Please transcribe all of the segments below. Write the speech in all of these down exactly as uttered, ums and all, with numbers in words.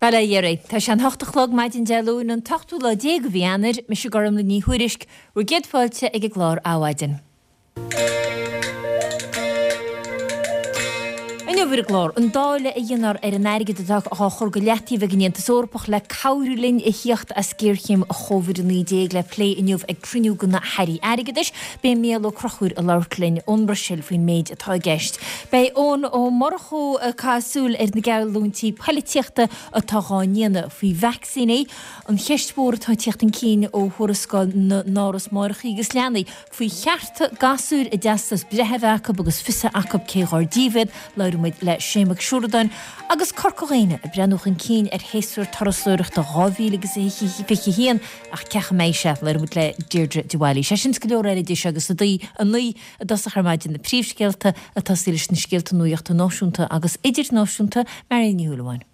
Bail ó Dhia oraibh. Tá sé an hocht a chlog maidin Dé Luain an t-ochtú lá déag de mhí Eanáir, mise Gormlaith Ní Thuairisg, bhur gcéad fáilte ag an gclár Adhmhaidin. Inniu ar an gclár, an dáileadh a dhéanfar ar an airgead atá á chur go leataobh ag an Aontas Eorpach le cabhrú linn a thíocht as géarchéim Chóivid a naoi déag le plé inniu ag cruinniú de na hAirí Airgeadais. Beidh Mícheál Ó Conchúir ag labhairt linn ón mBruiséil faoin méid atá i gceist. Beidh Eoin Ó Murchú ag caitheamh súil ar na geallúintí poilitíochta atá dhá ndéanamh faoi vacsaíní, an cheist mhór atá ag tíocht chun cinn ó thuarascáil na nÁras Máithreacha agus Leanaí faoi chearta gasúir a dteastas breithe a bheith acu agus fios a bheith acu cé dhár díobh iad, labhróidh muid le Shane Mac Siúradáin agus Corca Dhuibhne ag breathnú chun cinn ar shéasúr turasóireachta dhá mhíle agus fiche a haon ach cén chaoi a mbeidh sé, labhróidh muid le Deirdre de Bhailís. Sé sin is go leor eile idir seo agus a dó a naoi i dtosach ar maidin, na príomhscéalta ag tosaí leis na scéalta nuachta náisiúnta agus idirnáisiúnta, Marion Ní Shúilleabháin.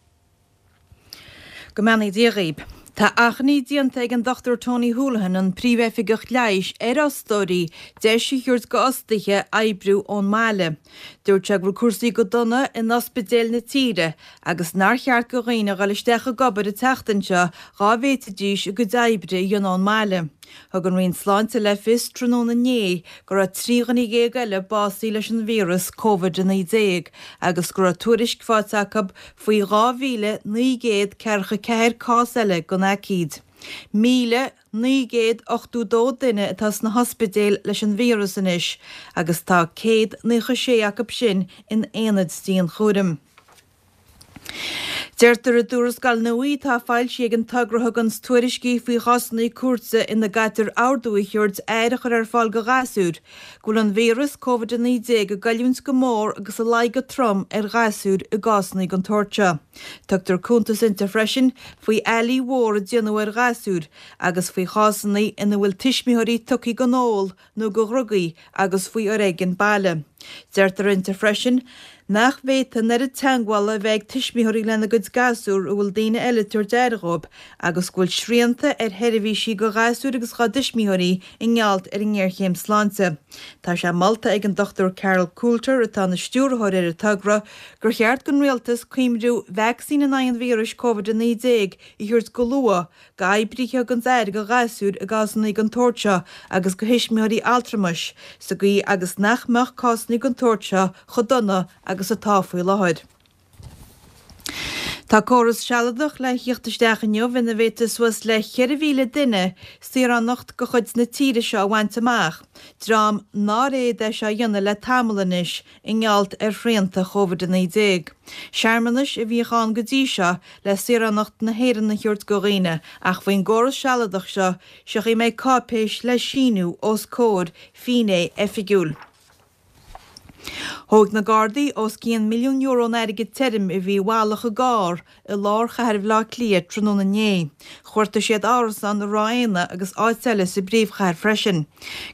Go mbeannaí Dia dhaoib. Tá achainí déanta ag an Dochtúir Tony Holohan, an Príomh-Oifigeach Leighis, ar fhostóirí deis a thabhairt go fhostaithe oibriú ón mbaile. Dúirt sé go bhfuil cúrsaí go dona in ospidéil na tíre agus nár cheart go dhaoine a dhul isteach ag obair an tseachtain seo dhá bhféadfaidís a gcuid oibre a dhéanamh ón mbaile. Thug an Roinn Sláinte le fios tráthnóna inné go raibh trí dhuine dhéag eile básaithe leis an víreas Covid a naoi déag agus go raibh tuairisc faighte acu faoi dhá mhíle naoi gcéad ceathracha ceathair cás eile den aicíd. Míle naoi gcéad ochtó dó duine atá sna hospidéil leis an víreas anois agus tá céad naocha sé acu sin in aonaid dianchúraim. Deirtear i dtuarascáil nua atá foilsithe ag an togra a thugann tuairiscí faoi chásanna cúirte ina gcaitear ordú a thabhairt aire a chur ar fáil go ghasúir, go bhfuil an víreas Covid a naoi déag ag goilliúint go mór agus ag luí go trom ar ghasúir i gcásanna den tsórt seo. Tugtar cuntas inti freisin faoi fhaillí mhór a déanadh ar ghasúir agus faoi chásanna ina bhfuil tuismitheoirí tugtha don ól nó go dhrugaí agus faoi fhoréigean baile. Deirtear inti freisin nach bhféadfaidh an oiread teagmhála a bheith ag tuismitheoirí lena gcuid gasúr a bhfuil daoine eile ag tabhairt aire dhóibh agus go bhfuil srianta ar sheirbhísí go ghasúir agus dhá dtuismitheoirí i ngeall ar an ngéarchéim sláinte. Tá sé molta ag an Dochtúir Carol Coulter, atá ina stiúrthóir ar an togra, gur cheart don rialtas cuimriú vacsaín in aghaidh an víris Covid a naoi déag a thabhairt go luath go oibrithe a thuganns aire go ghasúir i gcásanna den tsórt seo agus go thuismitheoirí altramais, sa gcaoi agus nach mbeadh cásanna den tsórt seo chomh dona agus atá faoi láthair. Tá córas sealadach le thíocht isteach inniu ina bhféadfaidh suas le ceithre mhíle duine saoránacht de chuid na tíre seo a bhaint amach, dream nár fhéad é seo a dhéanamh le tamall anois i ngeall ar shrianta Chóivid a naoi déag. Searmanais a bhíodh ann go dtí seo le saoránacht na hÉireann a thabhairt go dhaoine ach faoin gcóras sealadach seo, seo chaoi a mbeidh cáipéis le síniú os comhair finné oifigiúil. Thóg na Gardaí os cionn milliún euro in airgead tirim a bhí i bhfalach i gcarr i lár chathair Bhaile Átha Cliath tráthnóna inné. Chuartaigh siad árasán i Ráth Éanna agus áit eile sa bpríomhchathair freisin.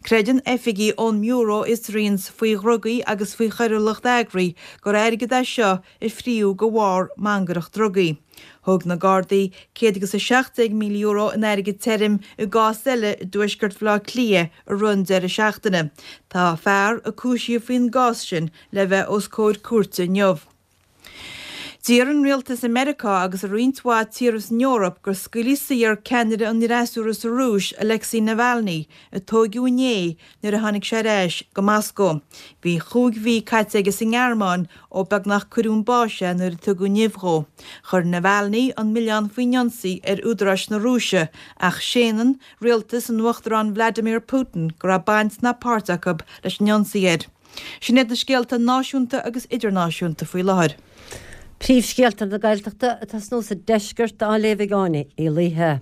Creideann oifigigh ón mBiúró a Fhiosraíonns faoi dhrugaí agus faoi choiriúlacht eagraithe gur airgead é seo a fríodh de bharr mangaireacht drugaí. Thóg na Gardaí céad agus a seacht déag míle euro in airgead tirim i gcás eile i dtuaisceart Bhaile Átha Cliath i rith an deireadh seachtaine. Tá fear a cúisíodh faoin gcás sin le bheith os comhair cúirte inniu. D'iarr an rialtas i Meiriceá agus i roinnt mhaith tíortha san Eoraip gur scaoilfí saor ceannaire an fhreasúra sa Rúis, Alexei Navalny, a tóigeadh inné nuair a tháinig sé ar ais go Moscó. Bhí chúig mhí caite aige sa nGearmáin ó beagnach cuireadh chun báis é nuair a tugadh nimh dhó. Chuir Navalny an milleán faoin ionsaí ar údaráis na Rúise ach séanann rialtas an Uachtaráin Vladimir Putin go raibh baint ná páirt acu leis an ionsaí air. Sin iad na scéalta náisiúnta agus idirnáisiúnta faoi láthair. Príomhscéalta na Gaeltachta atá sna sa deisceart á léamh ag Áine Uí Laoithe.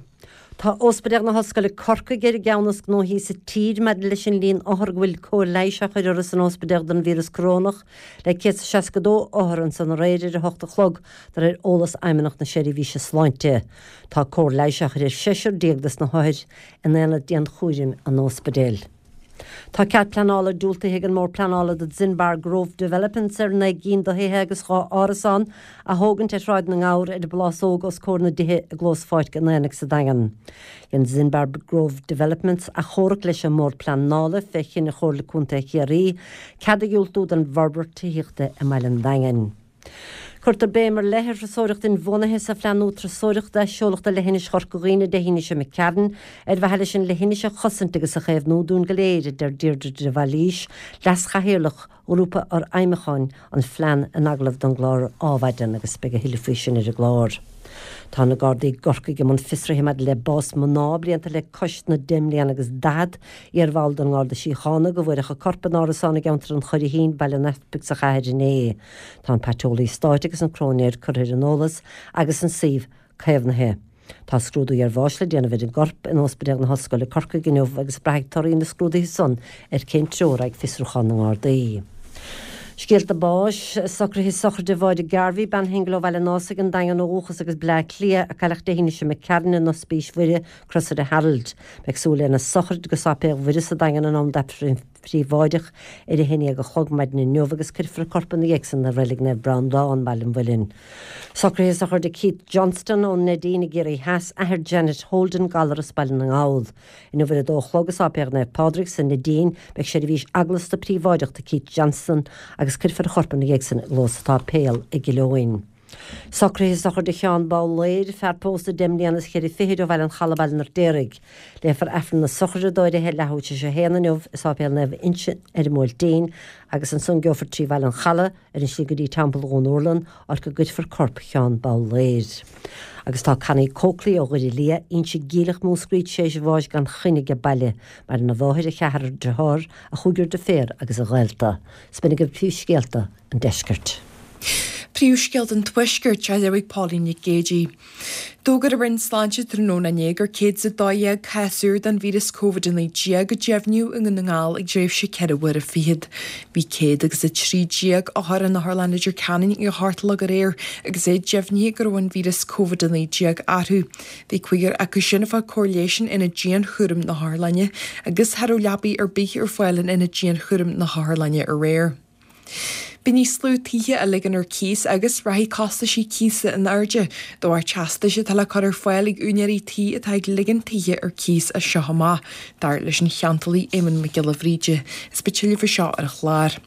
Tá Ospidéal na hOllscoile Corcaigh ar an gceann is gnóthaí sa tír maidir leis an líon othar go bhfuil cóir leighis á chur orthu san ospidéal don víreas corónach le céad is seasca dó othar ansan aréir ar a hocht a chlog de réir eolas Fheidhmeannacht na Seirbhíse Sláinte. Tá cóir leighis á chur ar seisear déag des na hothair in aonad dianchúraim an ospidéil. Tá cead pleanála diúltaithe ag an mBord Pleanála do Zinbar Grove Developments ar naoi gcinn de thithe agus dhá árasán a thógaint ar Shráid na nGabhar ar an bPlásóg os comhair na dtithe i gclós Pháirc an Aonaigh sa Daingean. Dhein Zinbar Grove Developments achomharc leis an mBord Pleanála fé chinneadh Chomhairle Contae Chiarraí cead a dhiúltú don bhforbairt tithíochta i mBaile an Daingin. Cuirtear béim ar leith ar thurasóireacht inbhuanaithe sa phlean nua turasóireachta a seoladh do Leithinis Chorca Dhuibhne Dé hAoine seo imigh tharainn, ar mhaithe leis an leithinis a chosaint agus a chaomhnú dúinn go léir, a deir Deirdre de Bhailís, Leas-Chathaoirleach Ghrúpa Fhorfheidhmiúcháin an phlean in agallamh don gclár Adhmhaidin agus beidh a thuilleadh faoi sin ar an gclár. Tá na Gardaí i gCorcaigh i mbun fiosraithe maidir le bás mná blianta le cois na deich mbliana agus daichead, iarbhall den nGarda Síochána, go bhfuaireadh a corp in árasán i gceantar an Churraichín, Baile an Easpaig sa chathair inné. Tá an Paiteolaí Stáit agus an Cróinéir curtha ar an eolas agus an suíomh caomhnaithe. Tá scrúdú iarbháis le déanamh ar an gcorp in Ospidéal na hOllscoile Corcaigh inniu agus braithfidh torthaí na scrúduithe san ar cén treo a raghaidh fiosrúchán na nGardaí. Scéalta báis, Socruithe sochraide Mháire Garvey, bean shingil ó Bhaile an Ásaigh, an Daingean ó dhúchas agus Bleá Cliath, a cailleadh Dé hAoine seo imigh tharainn in Ospís Mhuire, Crosaire Harold. Beidh súil lena sochraid go Sáipéal Mhuire sa Daingean in am d'Aifreann príobháideach ar a haon déag a chlog maidin inniu agus cuirfear a corp ina dhiaidh san i Reilig Naomh Breandán, Baile an Mhuilinn. Socruithe sochraide Keith Johnston ón Neidín i gCiarraí Theas, athair Janet Holden, galar as Baile na nGall. Inniu ar a dó a chlog i Sáipéal Naomh Pádraig sa Neidín beidh seirbhís eaglasta príobháideach do Keith Johnston agus cuirfear a chorp ina dhiaidh san i gclós an tsáipéil i gCill Eoin. Socruithe sochraide Sheán Babhléir, fear pósta deich mbliana is ceithre fichid ó Bhaile an Chalaidh, Baile an Fheirtéaraigh. Léifear Aifreann na sochraide dó ar a leathuair tar éis a haon inniu i Sáipéal Naomh Uinseann ar an mBuailtín agus ansan gheofar trí Bhaile an Chalaidh ar an slí go dtí Teampall Dhún Urlann, áit go gcuirfear corp Sheán Babhléir. Agus tá Connie Coakley ó Dhoire Liath, Inse Geimhleach, Múscraí, tar éis bháis gan choinne age baile. Maireann a mháthair, a cheathrar dearthár, a chúigear deirféar agus a ghaolta. 'S b'in agaibh príomhscéalta an deiscirt. Príomhscéalta an Tuaiscirt á léamh ag Pauline Nic Géadaigh. D'fhógair an Roinn Sláinte tráthnóna inné gur céad is a dó dhéag cás úr den víreas Covid a naoi déag a deimhníodh i nDún na nGall i dtréimhse ceithre huaire fichead. Bhí céad agus a trí déag othar in Otharlann Leitir Ceanainn ag a hocht a chlog aréir agus é deimhnithe go raibh an víreas Covid a naoi déag orthu. Bhí cúigear acu sin ag fáil cóir leighis in ionad dianchúraim na hotharlainne agus cha raibh leabaí ar bith ar fáil in ionad dianchúraim na hotharlainne aréir. Beidh níos lú tithe á ligean ar cíos agus rachaidh costaisí cíosa in airde de bharr teastais atá le cur ar fáil ag úinéirí tí atá ag ligean tithe ar cíos as seo amach, dar leis an cheantálaí Éamonn Mac Giolla Bhríde. Is beidh tuilleadh faoi seo ar an chlár.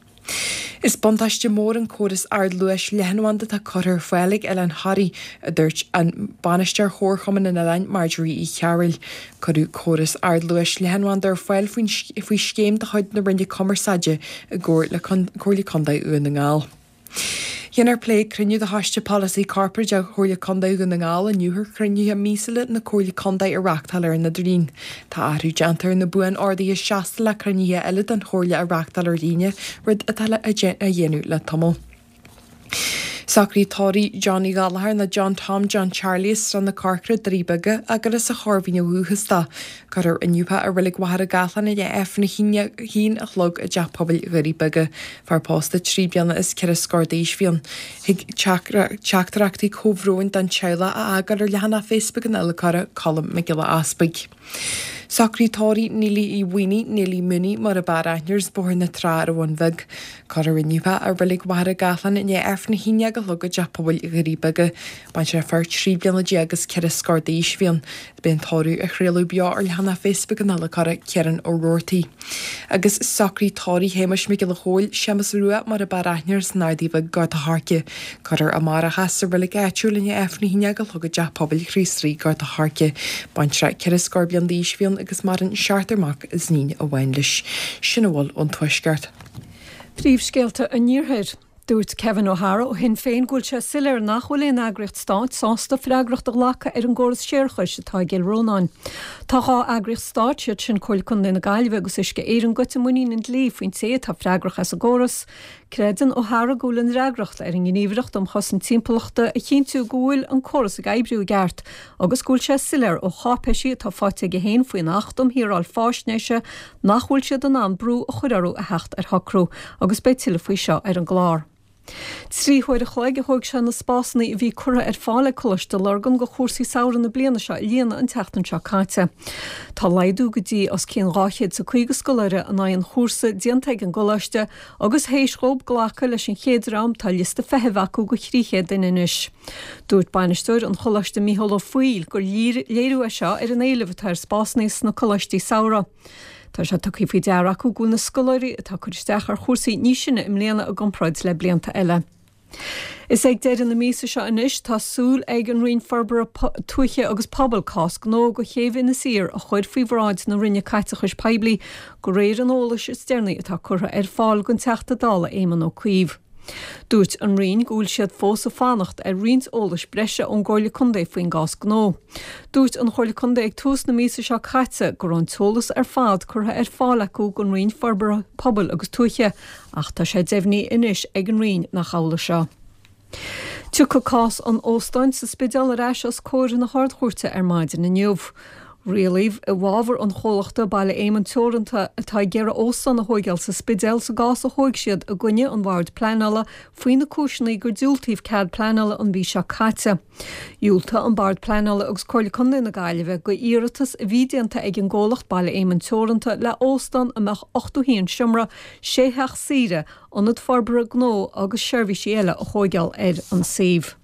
Is buntáiste mór an córas ardluais leathanbhanda atá curtha ar fáil ag Oileán Thoraí, a dúirt an bainisteoir Chomharchumann an Oileáin, Marjorie Uí Chearbhaill. Cuireadh córas ardluais leathanbhanda ar fáil faoi scéim de chuid na Roinne Cumarsáide i gcomhar le Comhairle Contae Dhún na nGall. Dhéanfar plé ag cruinniú de Choiste Polasaí Corparáideach Chomhairle Contae Dhún na nGall inniu ar chruinnithe míosúla na Comhairle Contae a reáchtáil ar an idirlíon. Tá athrú déanta ar na buan-orduithe seasta le cruinnithe eile den Chomhairle a reáchtáil ar líne, rud atá á dhéanamh le tamall. Socruithe tórraimh Johnny Gallagher nó John Tom John Charlie as Srath na Corcra, Doirí Beaga, agus as an Chorr Mhín ó dhúchas dó. Cuirfear inniu é i Reilig Mhachaire Gathlán i ndiaidh Aifreann a haon a chlog i dTeach Pobail Dhoirí Beaga. Fear pósta trí bliana is ceithre scór d'aois a bhí ann. Thig teachtaireachtaí comhbhróin don teaghlach a fhágáil ar leathanach Facebook an adhlacóra, Colm Mac Giolla Easpaig. Socruithe tórraimh Neilí Uí Mhaonaigh, Neilí Mooney mar ab fhearr aithne uirthi, as Bóthar na Trá ar an Bhun Bheag. Cuirfear inniu é i Reilig Mhachaire Gathlán i ndiaidh Aifreann a haon déag a chlog i dTeach Pobail Dhoirí Beaga. Baintreach fear trí bliana déag is ceithre scór d'aois a bhí ann. Beidh an tórramh á chraoladh beo ar leathanach Facebook an adhlacóra, Ciarán Ó Roarty. Agus socruithe tórraimh Shéamais Mhic Giolla Chóill, Séamus Rua mar ab fhearr aithne air, as an Ardaidh Bhig, Gort a' Choirce. Cuirfear amárach é sa reilig áitiúil i ndiaidh Aifreann a haon déag a chlog i dTeach Pobail Chríost Rí, Gort a' Choirce. Baintreach ceithre scór bliain d'aois a bhí ann agus maireann seachtar mac is iníon amháin leis. Sin a bhfuil ón Tuaisceart. Príomhscéalta an Iarthair. Dúirt Kevin O'Hara ó Shinn Féin go bhfuil sé soiléir nach bhfuil aon eagraíocht stáit sásta freagracht a ghlacadh ar an gcóras séarachais atá i gCill Rónáin. Tá dhá eagraíocht stáit, siad sin Comhairle Contae na Gaillimhe agus Uisce Éireann, goite muinín an dlí faoin té atá freagrach as an gcóras. Creideann O'Hara go bhfuil an fhreagracht ar an nGníomhaireacht um Chosaint Timpeallachta a chinntiú go bhfuil an córas ag oibriú i gceart agus go bhfuil sé soiléir ó cháipéisí atá faighte aige féin faoin Acht um Shaoráil Faisnéise nach bhfuil siad in ann brú a chur orthu a theacht ar shocrú agus beidh tuilleadh faoi seo ar an gclár. Trí huaire a chloig a thóg sé na spásanna a bhí curtha ar fáil ag Coláiste Lurgan do chúrsaí samhraidh na bliana seo a líonadh an tseachtain seo caite. Tá laghdú go dtí os cionn dhá chéad is a caoga scoláire in aghaidh an chúrsa déanta ag an gcoláiste agus théis dhóibh glacadh leis an chéad dream tá liosta feithimh acu go thrí chéad duine anois. Dúirt bainisteoir an choláiste Mícheál Ó Foighil gur léiriú é seo ar an éileamh atá ar spásanna sna coláistí samhraidh. Tá sé tugtha faoi deara acu go bhfuil na scoláirí atá ag cur isteach ar chúrsaí níos sine i mbliana i gcomparáid le blianta eile. Is ag deireadh na míosa seo anois tá súil ag an Roinn Forbartha Tuaithe agus Pobail cás gnó go chéibh Inis Oírr a chur faoi bhráid na Roinne Caiteachais Poiblí de réir an eolais is deireanaí atá curtha ar fáil don Teachta Dála Éamon Ó Cuív. Dúirt an Roinn go bhfuil siad fós ag fanacht ar roinnt eolais breise ón gComhairle Contae faoin gcás gnó. Dúirt an Chomhairle Contae ag tús na míosa seo caite go raibh an t-eolas ar fad curtha ar fáil acu don Roinn Forbartha Pobail agus Tuaithe, ach tá sé deimhnithe anois ag an Roinn nach amhlaidh seo. Tiocfaidh cás an óstáin sa Spidéal ar ais os comhair na hArd-Chúirte ar maidin inniu. Rialaíodh i bhfabhar an chomhlachta Baile Éamonn Teoranta atá ag iarraidh óstán a thóigeáil sa Spidéal sa gcás a thóig siad i gcoinne an Bhoird Pleanála faoi na cúiseanna gur diúltaíodh cead pleanála an mhí seo caite. Dhiúltaigh an Bord Pleanála agus Comhairle Contae na Gaillimhe go iarratas a bhí déanta ag an gcomhlacht Baile Éamonn Teoranta le óstán a mbeadh ochtó haon seomra, sé theach saoire, ionad forbartha gnó agus seirbhísí eile a thóigeáil ar an suíomh.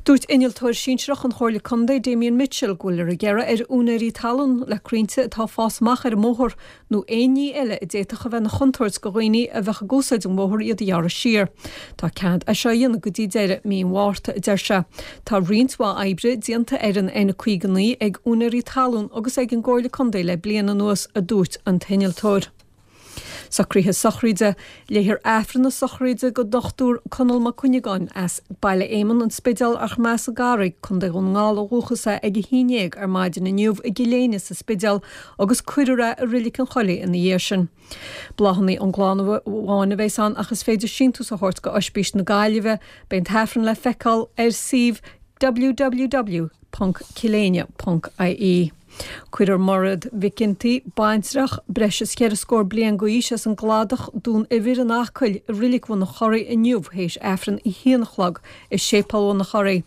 Dúirt Innealtóir Sinsearach an Chomhairle Contae Damien Mitchell go bhfuiltear ag iarraidh ar úinéirí talún le crainnte atá ag fás amach ar an mbóthar nó aon ní eile a d'fhéadfadh a bheith ina chontúirt go dhaoine a bheadh ag úsáid an bhóthair iad a ghearradh siar. Tá cead é seo a dhéanamh go dtí deireadh mí an Mhárta, a deir sé. Tá roinnt mhaith oibre déanta ar an N caoga naoi ag úinéirí talún agus ag an gComhairle Contae le bliain anuas, a dúirt an t-innealtóir. Socruithe sochraide, Léifear Aifreann na sochraide don Dochtúir Conall Mac Cuinneagáin as Baile Éamonn, An Spidéal ach más as an gCarraig, Contae Dhún na nGall ó dhúchas é ag a haon déag ar maidin inniu i gCill Éinne sa Spidéal agus cuirfear é i Reilig an Choilligh ina dhiaidh sin. Bláthanna ón gclann amháin a bheas ann ach is féidir síntiús a thabhairt go Oispís na Gaillimhe. Beidh an tAifreann le feiceáil ar suíomh www ponc cilléinne ponc ie. Cuirfear Mairéad Mhic Ginty, baintreach, breis is ceithre scór bliain d'aois as an gCladach, Dún Eibhir in Acaill, i Reilig Bhun an Chorraigh inniu théis Aifreann a haon a chlog i Séipéal Bhun an Chorraigh.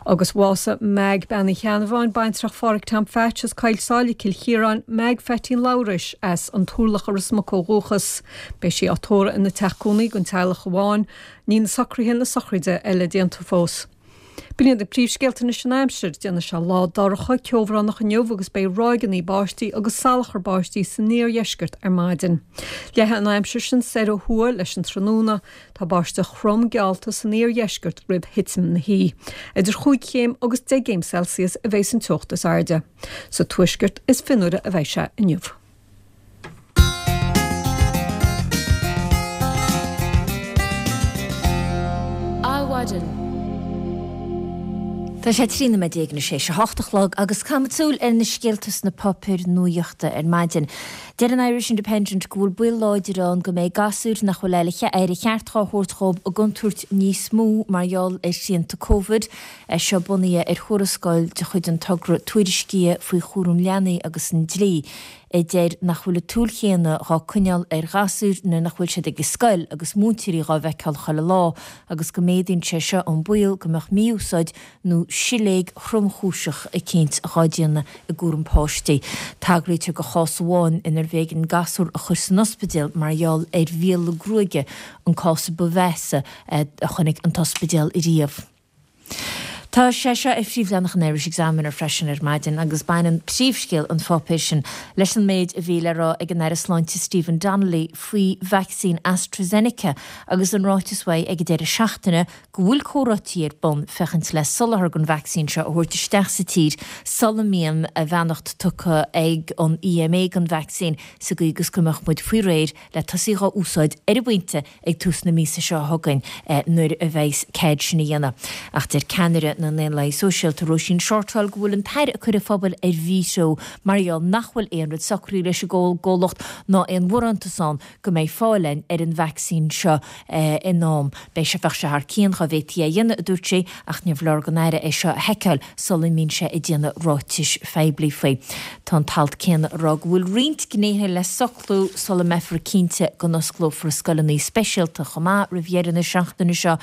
Agus bhásaigh Meaig Bean Uí Cheannabháin, baintreach Phádhraic Tom Phatch as Coill Sáile, Cill Chiaráin, Meaig Pheaitín Labhruis as an Turlach i Ros Muc ó dhúchas. Beidh sí á tórramh ina teach cónaí don teaghlach amháin. Níl na socruithe na sochraide eile déanta fós. B'in iad na príomhscéalta anois an aimsir. Déanfaidh sé lá dorcha, ceobhránach inniu agus beidh ráigeanna báistí agus salachar báistí san iardheisceart ar maidin. Leáfaidh an aimsir sin soir ó thuaidh leis an tráthnóna. Tá báisteach throm geallta san iardheisceart roimh thitim na hoíche. Idir chúig chéim agus deich gcéim Celsius a bheas an teocht is airde. Sa tuaisceart is fionnuaire a bheidh sé inniu. Adhmhaidin. Tá sé trí nóiméad déag anois théis a hocht a chlog agus caithfimid súil ar na scéalta sna páipéir nuachta ar maidin. Deir an Irish Independent go bhfuil baol láidir ann go mbeidh gasúir nach bhfuil aire cheart dhá thabhairt dhóibh i gcontúirt níos mó mar gheall ar shrianta Covid. É seo bunaithe ar thuarascáil de chuid an togra tuairiscithe faoi chúram leanaí agus an dlí. a deir nach bhfuil an tsúil chéanna dhá coinneáil ar ghasúir nuair nach bhfuil siad ag an scoil agus múinteoirí dhá bhfeiceáil chuile lá agus go méadaíonn sé seo an baol go mbeadh mí-úsáid nó siléig thromchúiseach eicínt dhá déanamh i gcúram páistí. Tagraítear do chás amháin inar bh'éigean gasúr a chur san ospidéal mar gheall ar mhíola gruaige, an cás a ba mheasa a chonaic an t-ospidéal riamh. Tá sé seo ar phríomhleathanach an Irish Examiner freisin ar maidin agus baineann príomhscéal an pháipéir sin leis an méid a bhí le rá ag an Aire Sláinte Stephen Donnelly faoi vacsaín AstraZeneca agus an ráiteas uaidh ag an deireadh seachtaine go bhfuil comhráití ar bun féachaint le soláthar den vacsaín seo a thabhairt isteach sa tír sula mbíonn a bheannacht tugtha ag an EMA don vacsaín sa gcaoi agus go mbeadh muid faoi réir le tosaí dhá úsáid ar an bpointe ag tús na míosa seo chugainn nuair a bheas cead sin a dhéanamh. Ach deir ceannaire na nDaonlathaithe Sóisialta Róisín Shortall go bhfuil an tAire ag cur an phobail ar mhíthreo mar gheall nach bhfuil aon rud socraithe leis an gcomhlacht ná aon bharántas ann go mbeidh fáil againn ar an vacsaín seo in am. Beidh sé bheadh sé thar cionn dá bhféadfaí é a dhéanamh, a dúirt sí, ach níorbh leor don Aire é seo a sheiceáil sula mbíonn sé ag déanamh ráitis phoiblí faoi. Tá an t-alt céanna ag rá go bhfuil roinnt gnéithe le socrú sula mbeifear cinnte go n-osclófar scoileanna speisialta chomh maith roimh dheireadh na seachtaine seo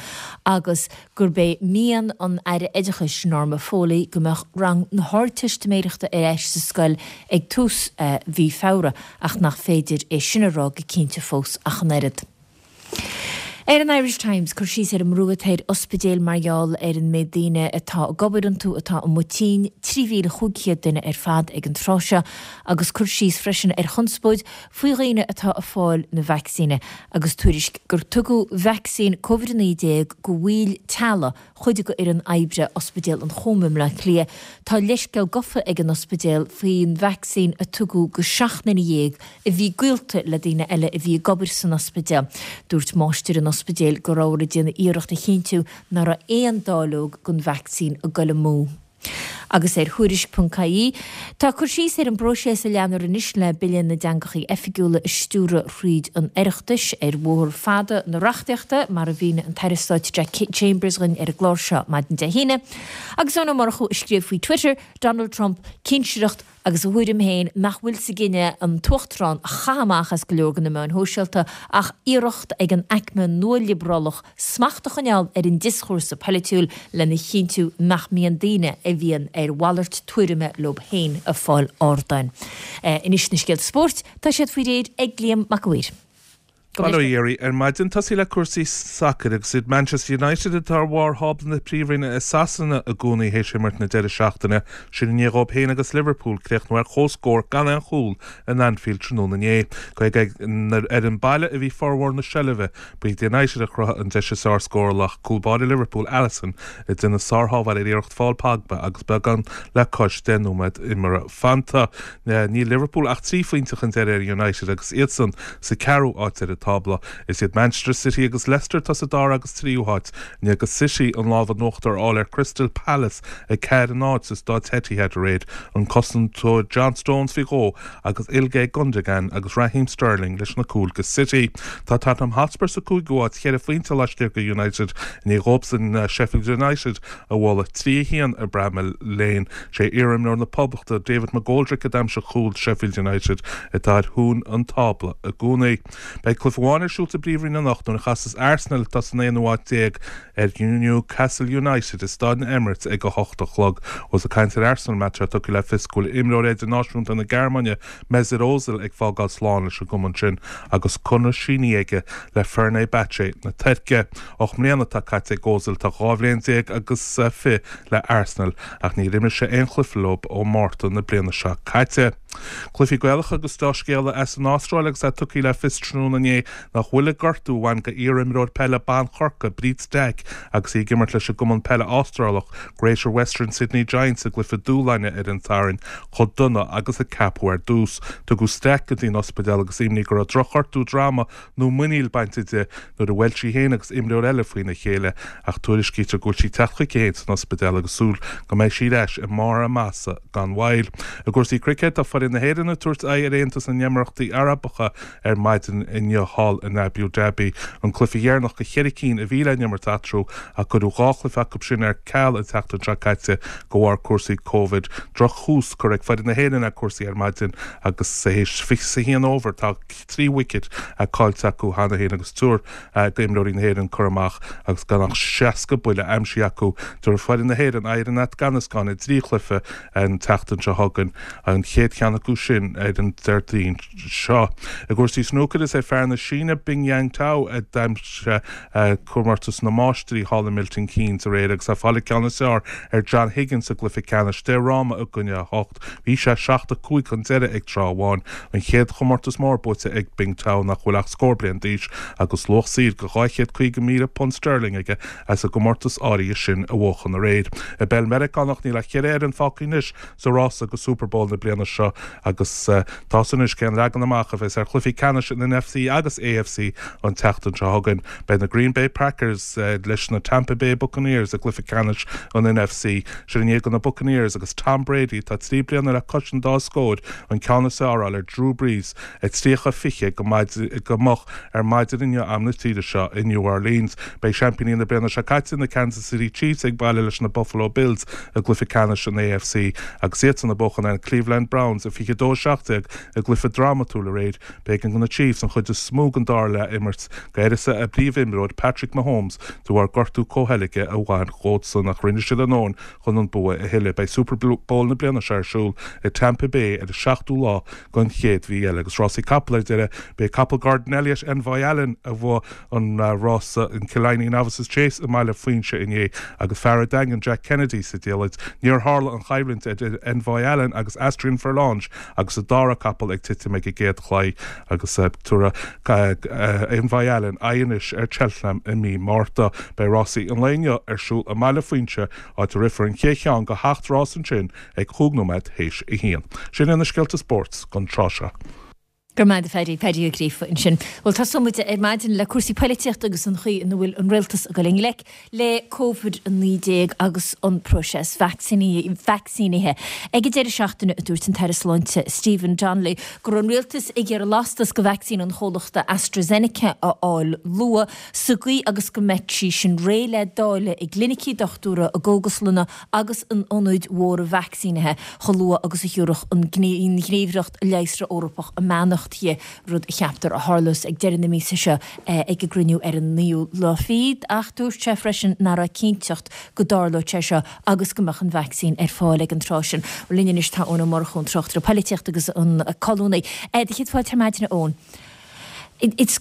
agus gurb é mian an Aire Oideachais Norma Foley go mbeadh rang na hArdteistiméireachta ar ais sa scoil ag tús mhí Feabhra ach nach féidir é sin a rá go cinnte fós ach an oiread. Ar an Irish Times cur síos ar an mbrú atá ar ospidéil mar gheall ar an méid daoine atá ag obair iontu atá amuigh tinn, trí mhíle chúig chéad duine ar fad ag an tráth seo, agus cur síos freisin ar chonspóid faoi dhaoine atá ag fáil na vacsaíne agus tuairisc gur tugadh vacsaín Covid a naoi déag go bhaill teaghlaigh chuid de fhoireann oibre Ospidéal an Chóim i mBleá Cliath. Tá leithscéal gafa ag an ospidéal faoin vacsaín a tugadh go seacht nduine dhéag a bhí gaolta le daoine eile a bhí ag obair san ospidéal. Dúirt máistir an ospidéil go rabhthar ag déanamh iarracht a chinntiú nach raibh aon dáileog den vacsaín ag dul amú. Agus ar Thuairisc ponc ie, tá cur síos ar an bpróiseas a leanfar anois le Bille na dTeangacha Oifigiúla a stiúradh thríd an Oireachtas ar bhóthar fada na reachtaíochta, mar a mhínigh an tAire Stáit Jack Chambers dhuinn ar an gclár seo maidin Dé hAoine. Agus Eoin Ó Murchú a scríobh faoi Twitter, Donald Trump, cinsireacht agus a thuairim féin nach bhfuil sa gcinneadh an tUachtarán a chaitheamh amach as go leor de na meáin shóisialta ach iarracht ag an aicme nua-liobrálach smacht a choinneáil ar an dioschúrsa polaitiúil lena chinntiú nach mbíonn daoine a bhíonn ar mhalairt tuairime leo féin ag fáil ardáin. Anois na scéalta spóirt, tá siad faoi réir ag Liam Mac a' Mhaoir. Bail ó Dhia oraibh ar maidin. Tosaí le cúrsaí sacair agus iad Manchester United atá ar bharr thábla na Príomhroinne i Sasana i gcónaí théis imirt na deireadh seachtaine. Sin i ndiaidh dóibh féin agus Liverpool críochnú ar comhscór gan aon chúl in Anfield tráthnóna inné. Cé gur ar an baile a bhí formhór na seilbhe, ba iad United a chruthaigh an deis is fearr scórála ach cúl báire Liverpool Alisson ag déanamh sárshábháil ar iarracht Phaul Pogba agus beagán le cois deich nóiméad imeartha fanta. Níl Liverpool ach trí phointe chun deiridh ar United agus iadsan sa ceathrú áit ar an tábla. Is iad Manchester City agus Leicester atá sa dara agus tríú háit, i ndiaidh do City an lámh in uachtar a fháil ar Crystal Palace a ceathair a náid sa staid Etihad aréir, an cosantóir John Stones faoi dhó agus Ilkay Gundogan agus Raheem Sterling leis na cúil do City. Tá Tottenham Hotspur sa cúigiú háit, cheithre phointe laistiar de United, i ndiaidh dóibhsean Sheffield United a bhualadh trí a haon i Bramall Lane. Sé iarimreoir na Poblachta David McGoldrick a d'aimsigh cúl Sheffield United atá ar thús an tábla i gcónaí. Beidh cluiche amháin ar siúl sa bPríomhroinn anocht nuair a chasas Arsenal atá san aonú háit déag ar Newcastle United i Staid na Emirates ag a hocht a chlog. Ós ag caint ar Arsenal má tá tugtha le fios go bhfuil imreoir idirnáisiúnta na Gearmáine Mesut Ozil ag fágáil slán leis an gcumann sin agus conradh sínithe aige le Fenerbahce na Tuirce. Ocht mbliana atá caite ag Ozil tá dhá bhliain déag agus fiche le Arsenal ach níor imir sé aon chluiche leo ó Mhárta na bliana seo caite. Cluichí Gaelacha agus dea-scéala as an Astráil agus é tugtha le fios tráthnóna inné nach bhfuil an gortú a bhain d'iar-imreoir peile ban Chorcaí, Bríd Stack, agus í ag imirt leis an gcumann peile Astrálach Greater Western Sydney Giants i gcluiche dúshláin ar an Satharn chomh dona agus a ceapadh ar dtús. Tugadh Stack go dtí an ospidéal agus imní go raibh drochghortú droma nó muiníl bainte di nuair a bhuail sí féin agus imreoir eile faoina chéile ach tuairiscítear go bhfuil sí ag teacht chuici féin san ospidéal agus súil go mbeidh sí ar ais i mbarr a maitheasa gan mhoill. I gcúrsaí cruicéid tá foireann na hÉireann ag tabhairt aghaidh ar Aontas na nÉimíríochtaí Arabacha ar maidin inniu thall in Abu Dhabi. An cluiche deireanach de cheithre cinn a bhí le n-imirt eatarthu ach cuireadh dhá chluiche acu sin ar ceal an tseachtain seo caite de bharr cúrsaí Covid. Drochthús curtha ag foireann na hÉireann ar cúrsaí ar maidin agus théis fiche a haon over tá trí wicket caillte acu cheana féin agus tuar d'imreoirí na hÉireann cur amach agus gan ach seasca buille aimsithe acu. Tabharfaidh foireann na hÉireann aghaidh ar an Afganastáin i dtrí chluiche an tseachtain seo chugainn, an chéad cheann acu sin ar an Déardaoin seo. I gcúrsaí snúcair is é fear na Síne Bingtian Su a d'aimsigh comórtas na Máistrí thall i Milton Keynes aréir agus é ag fáil an ceann is fearr ar John Higgins sa gcluiche ceannais deich fhráma i gcoinne a hocht. Bhí sé seacht a cúig chun deireadh ag tráth amháin. An chéad chomórtas mór buaite ag Bingtao nach bhfuil ach scór bliain d'aois agus luach saothair de dhá chéad caoga míle punt sterling aige as an gcomórtas áirithe sin a bhuachan aréir. I bpeil Meiriceánach níl ach ceithre fhoireann fágtha anois sa rása go Super Bowl na bliana seo agus tá 's anois cén leagan amach a bheas ar chluichí ceannais an N F C agus A F C an tseachtain seo chugainn. Beidh na Green Bay Packers leis na Tampa Bay Buccaneers i gcluiche ceannais an N F C. Sin i ndiaidh do na Buccaneers agus Tom Brady tá trí bliana le cois an dá scór an ceann is fearr a fháil ar Drew Brees a tríocha fiche go go moch ar maidin inniu am na tíre seo i New Orleans. Beidh seaimpíní na bliana seo caite na Kansas City Chiefs ag baile leis na Buffalo Bills i gcluiche ceannais an A F C agus iad san ag buachan ar Cleveland Browns i a fiche dó seacht déag i gcluiche drámatúil aréir. B'éigean do na Chiefs an chuid is mó den dara leath a imirt d'uireasa a bpríomhimreoir Patrick Mahomes de bharr gortú comhcheilge a bhain dhósan ach rinne siad a ndóthain chun an bua a thuilleamh. Beidh Super Bowl na bliana seo ar siúl i Tampa Bay ar an seachtú lá den chéad mhí eile agus rásaí capall ar deireadh b'é capall Gordon Elliott Envoi Allen a bhuaigh an rása an Killiney Novices Chase i mBaile Phuinse inné agus fear an Daingin Jack Kennedy sa diallait. Níor tharla an choimhlint idir Envoi Allen agus Asterion Forlonge agus an dara capall ag titim ag an gcéad chlaí agus tabharfaidh Envoi Allen aghaidh anois ar Cheltenham i mí Márta. Beidh rásaí an lae inniu ar siúl i mBaile Phuinse áit a rithfear an chéad cheann de sheacht rás ansin ag cúig nóiméad théis a haon. Sin iad na scéalta spóirt don tráth seo. Go raibh maith agat a Phaddy, Paddy Ó Gríofa ansin. Bhuel tosóidh muid ar maidin le cúrsaí poilitíochta agus an chaoi ina bhfuil an rialtas ag dul i ngleic le Covid a naoi déag agus an próiseas vacsaínithe. Ag an deireadh seachtaine a dúirt an tAire Sláinte Stephen Donnelly go raibh an rialtas ag iarraidh lastas de vacsaín an chomhlachta AstraZeneca a fháil luath sa gcaoi agus go mbeidh sí sin réidh le dáileadh i gclinicí dochtúra, i gcógaslanna agus in ionaid mhóra vacsaínithe chomh luath agus a thiúrfadh an Ghníomhaireacht Leigheasra Eorpach a mbeannacht di, rud a cheaptar a tharlós ag deireadh na míosa seo ag a gcruinniú ar an naoú lá fichead, ach dúirt sé freisin nach raibh cinnteacht go dtarlódh sé seo agus go mbeadh an vacsaín ar fáil ag an tráth sin. Linn anois tá Eoin Ó Murchú, an tráchtaire polaitíochta agus an colúnaí. Do chéad fáilte ar maidin, a Eoin. Is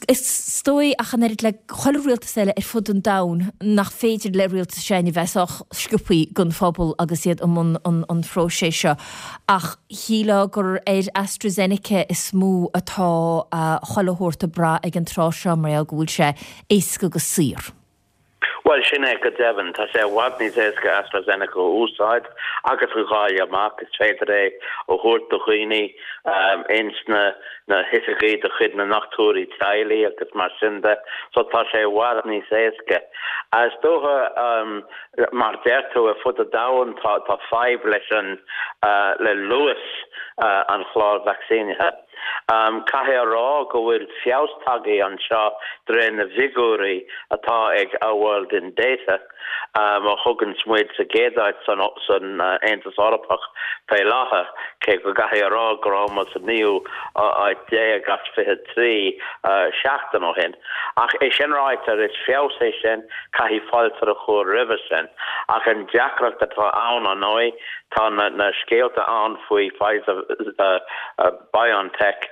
dóigh ach an oiread le chuile rialtas eile ar fud an domhain nach féidir le rialtas s'againne bheith sách sciobtha don phobal agus iad i mbun an phróisis seo. Ach shílfeá gur ar AstraZeneca is mó atá chuile shórt ag brath ag an tráth seo mar gheall go bhfuil sé éasca agus saor. Bhuel, sin é go deimhin. Tá sé i bhfad níos éasca AstraZeneca a úsáid agus a dháileadh amach. Is féidir é a thabhairt do dhaoine ins na na hoifigí de chuid na ndochtúirí teaghlaigh agus mar sin de. So tá sé i bhfad níos éasca. Is dócha, mar a deir tú, ar fud an domhain tá tá fadhb leis an le luas an chláir vacsaínithe. Caithfidh a rá go bhfuil feabhas tagtha anseo de réir na bhfigiúirí atá ag Our World in Data, a thuganns muid sa gcéad áit san Aontas Eorpach fé láthair, cé go gcaithfidh a rá go raibh muid sa naoú áit déag as fiche trí seachtain ó shin. Ach é sin ráite, is feabhas é sin, caithfidh fáilte a chur roimhe sin. Ach an deacracht atá ann, ar ndóigh, tá na scéalta ann faoi Pfizer, BioNTech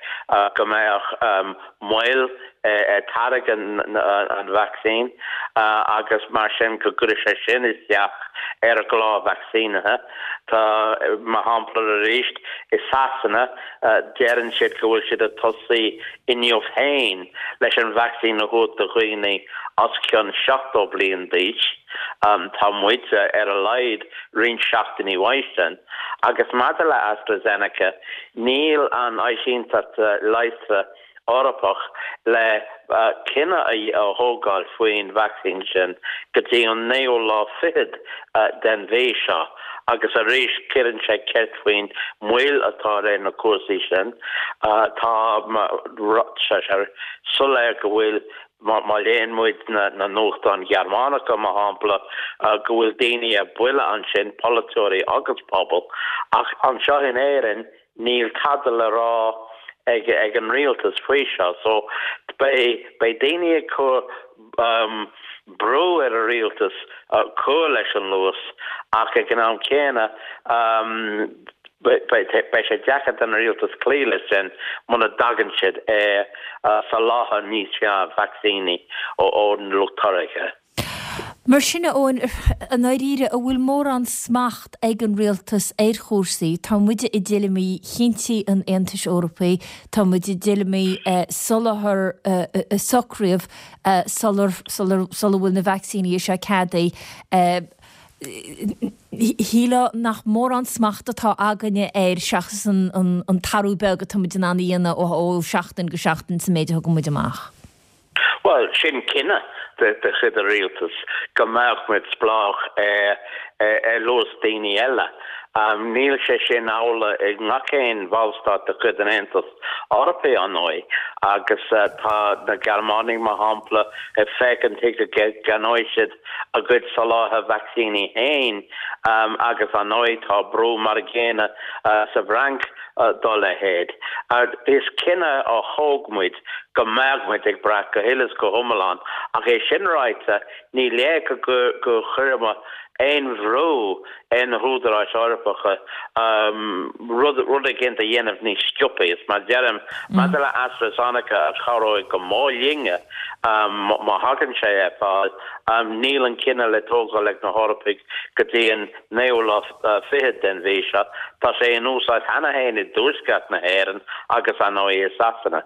go mbeadh moill ar táirgeadh an vacsaín agus mar sin go gcuirfeadh sé sin isteach ar an gclár vacsaínithe. Tá, mar shampla arís, i Sasana deireann siad go bhfuil siad ag tosaí inniu féin leis an vacsaín a thabhairt do dhaoine os cionn seachtó bliain d'aois. Tá muide ar a laghad roinnt seachtainí uaidh sin. Agus maidir le AstraZeneca, níl an Áisínteacht Leigheasra Eorpach le cinneadh a thógáil faoin vacsaín sin go dtí an naoú lá fichead den mhí seo agus arís cuireann sé ceist faoin moill atá ar na cúrsaí sin. Tá sé soiléir go bhfuil Má léann muid na nuachtáin Ghearmánacha, mar shampla, go bhfuil daoine ar buile ansin, polaiteoirí agus pobal, ach anseo in Éirinn níl tada le rá ag an rialtas faoi seo. So beidh daoine ag cur brú ar an rialtas cur leis an luas ach ag an am céanna Beidh sé deacair don rialtas cloí leis sin muna dtagann siad ar soláthar níos fearr vacsaíní ón lucht táirgthe. Mar sin, a Eoin, i ndáiríre, an bhfuil mórán smacht ag an rialtas ar chúrsaí? Tá muid i dtuilleamaí chinntí an Aontais Eorpaigh, tá muid i dtuilleamaí soláthar a socraíodh sular sula bhfuil na vacsaíní seo ceadaithe. Shílfeá nach mórán smacht atá againne air seachas an t-athrú beag atá muid in ann a dhéanamh ó sheachtain go seachtain sa méid a thugann muid amach. Bhuel, sin cinneadh de chuid an rialtais go mbeadh muid spleách ar luas daoine eile. Níl sé sin amhlaidh i ngach aon bhallstát de chuid an Aontais Eorpaí, ar ndóigh, agus tá na Gearmánaigh, mar shampla, ag féachaint chuige go gceannóidh siad a gcuid soláthar vacsaíní féin agus, ar ndóigh, tá brú mar an gcéanna sa bhFrainc dá leithéid. Is cinneadh a thóg muid go mbeadh muid ag brath go huile is go hiomlán, ach é sin ráite, ní léir go gcuirfeadh aon bhrú ar na húdaráis Eorpacha rud rud éigin a dhéanamh níos sciobtha. Is mar a deirim, maidir le AstraZeneca a chabhróidh go mór linne má thagann sé ar fáil, níl an cinneadh le tógáil ag na hEorpaigh go dtí an naoú lá fichead den mhí seo. Tá sé in úsáid cheana féin i dtuaisceart na hÉireann agus, ar ndóigh, i Sasana.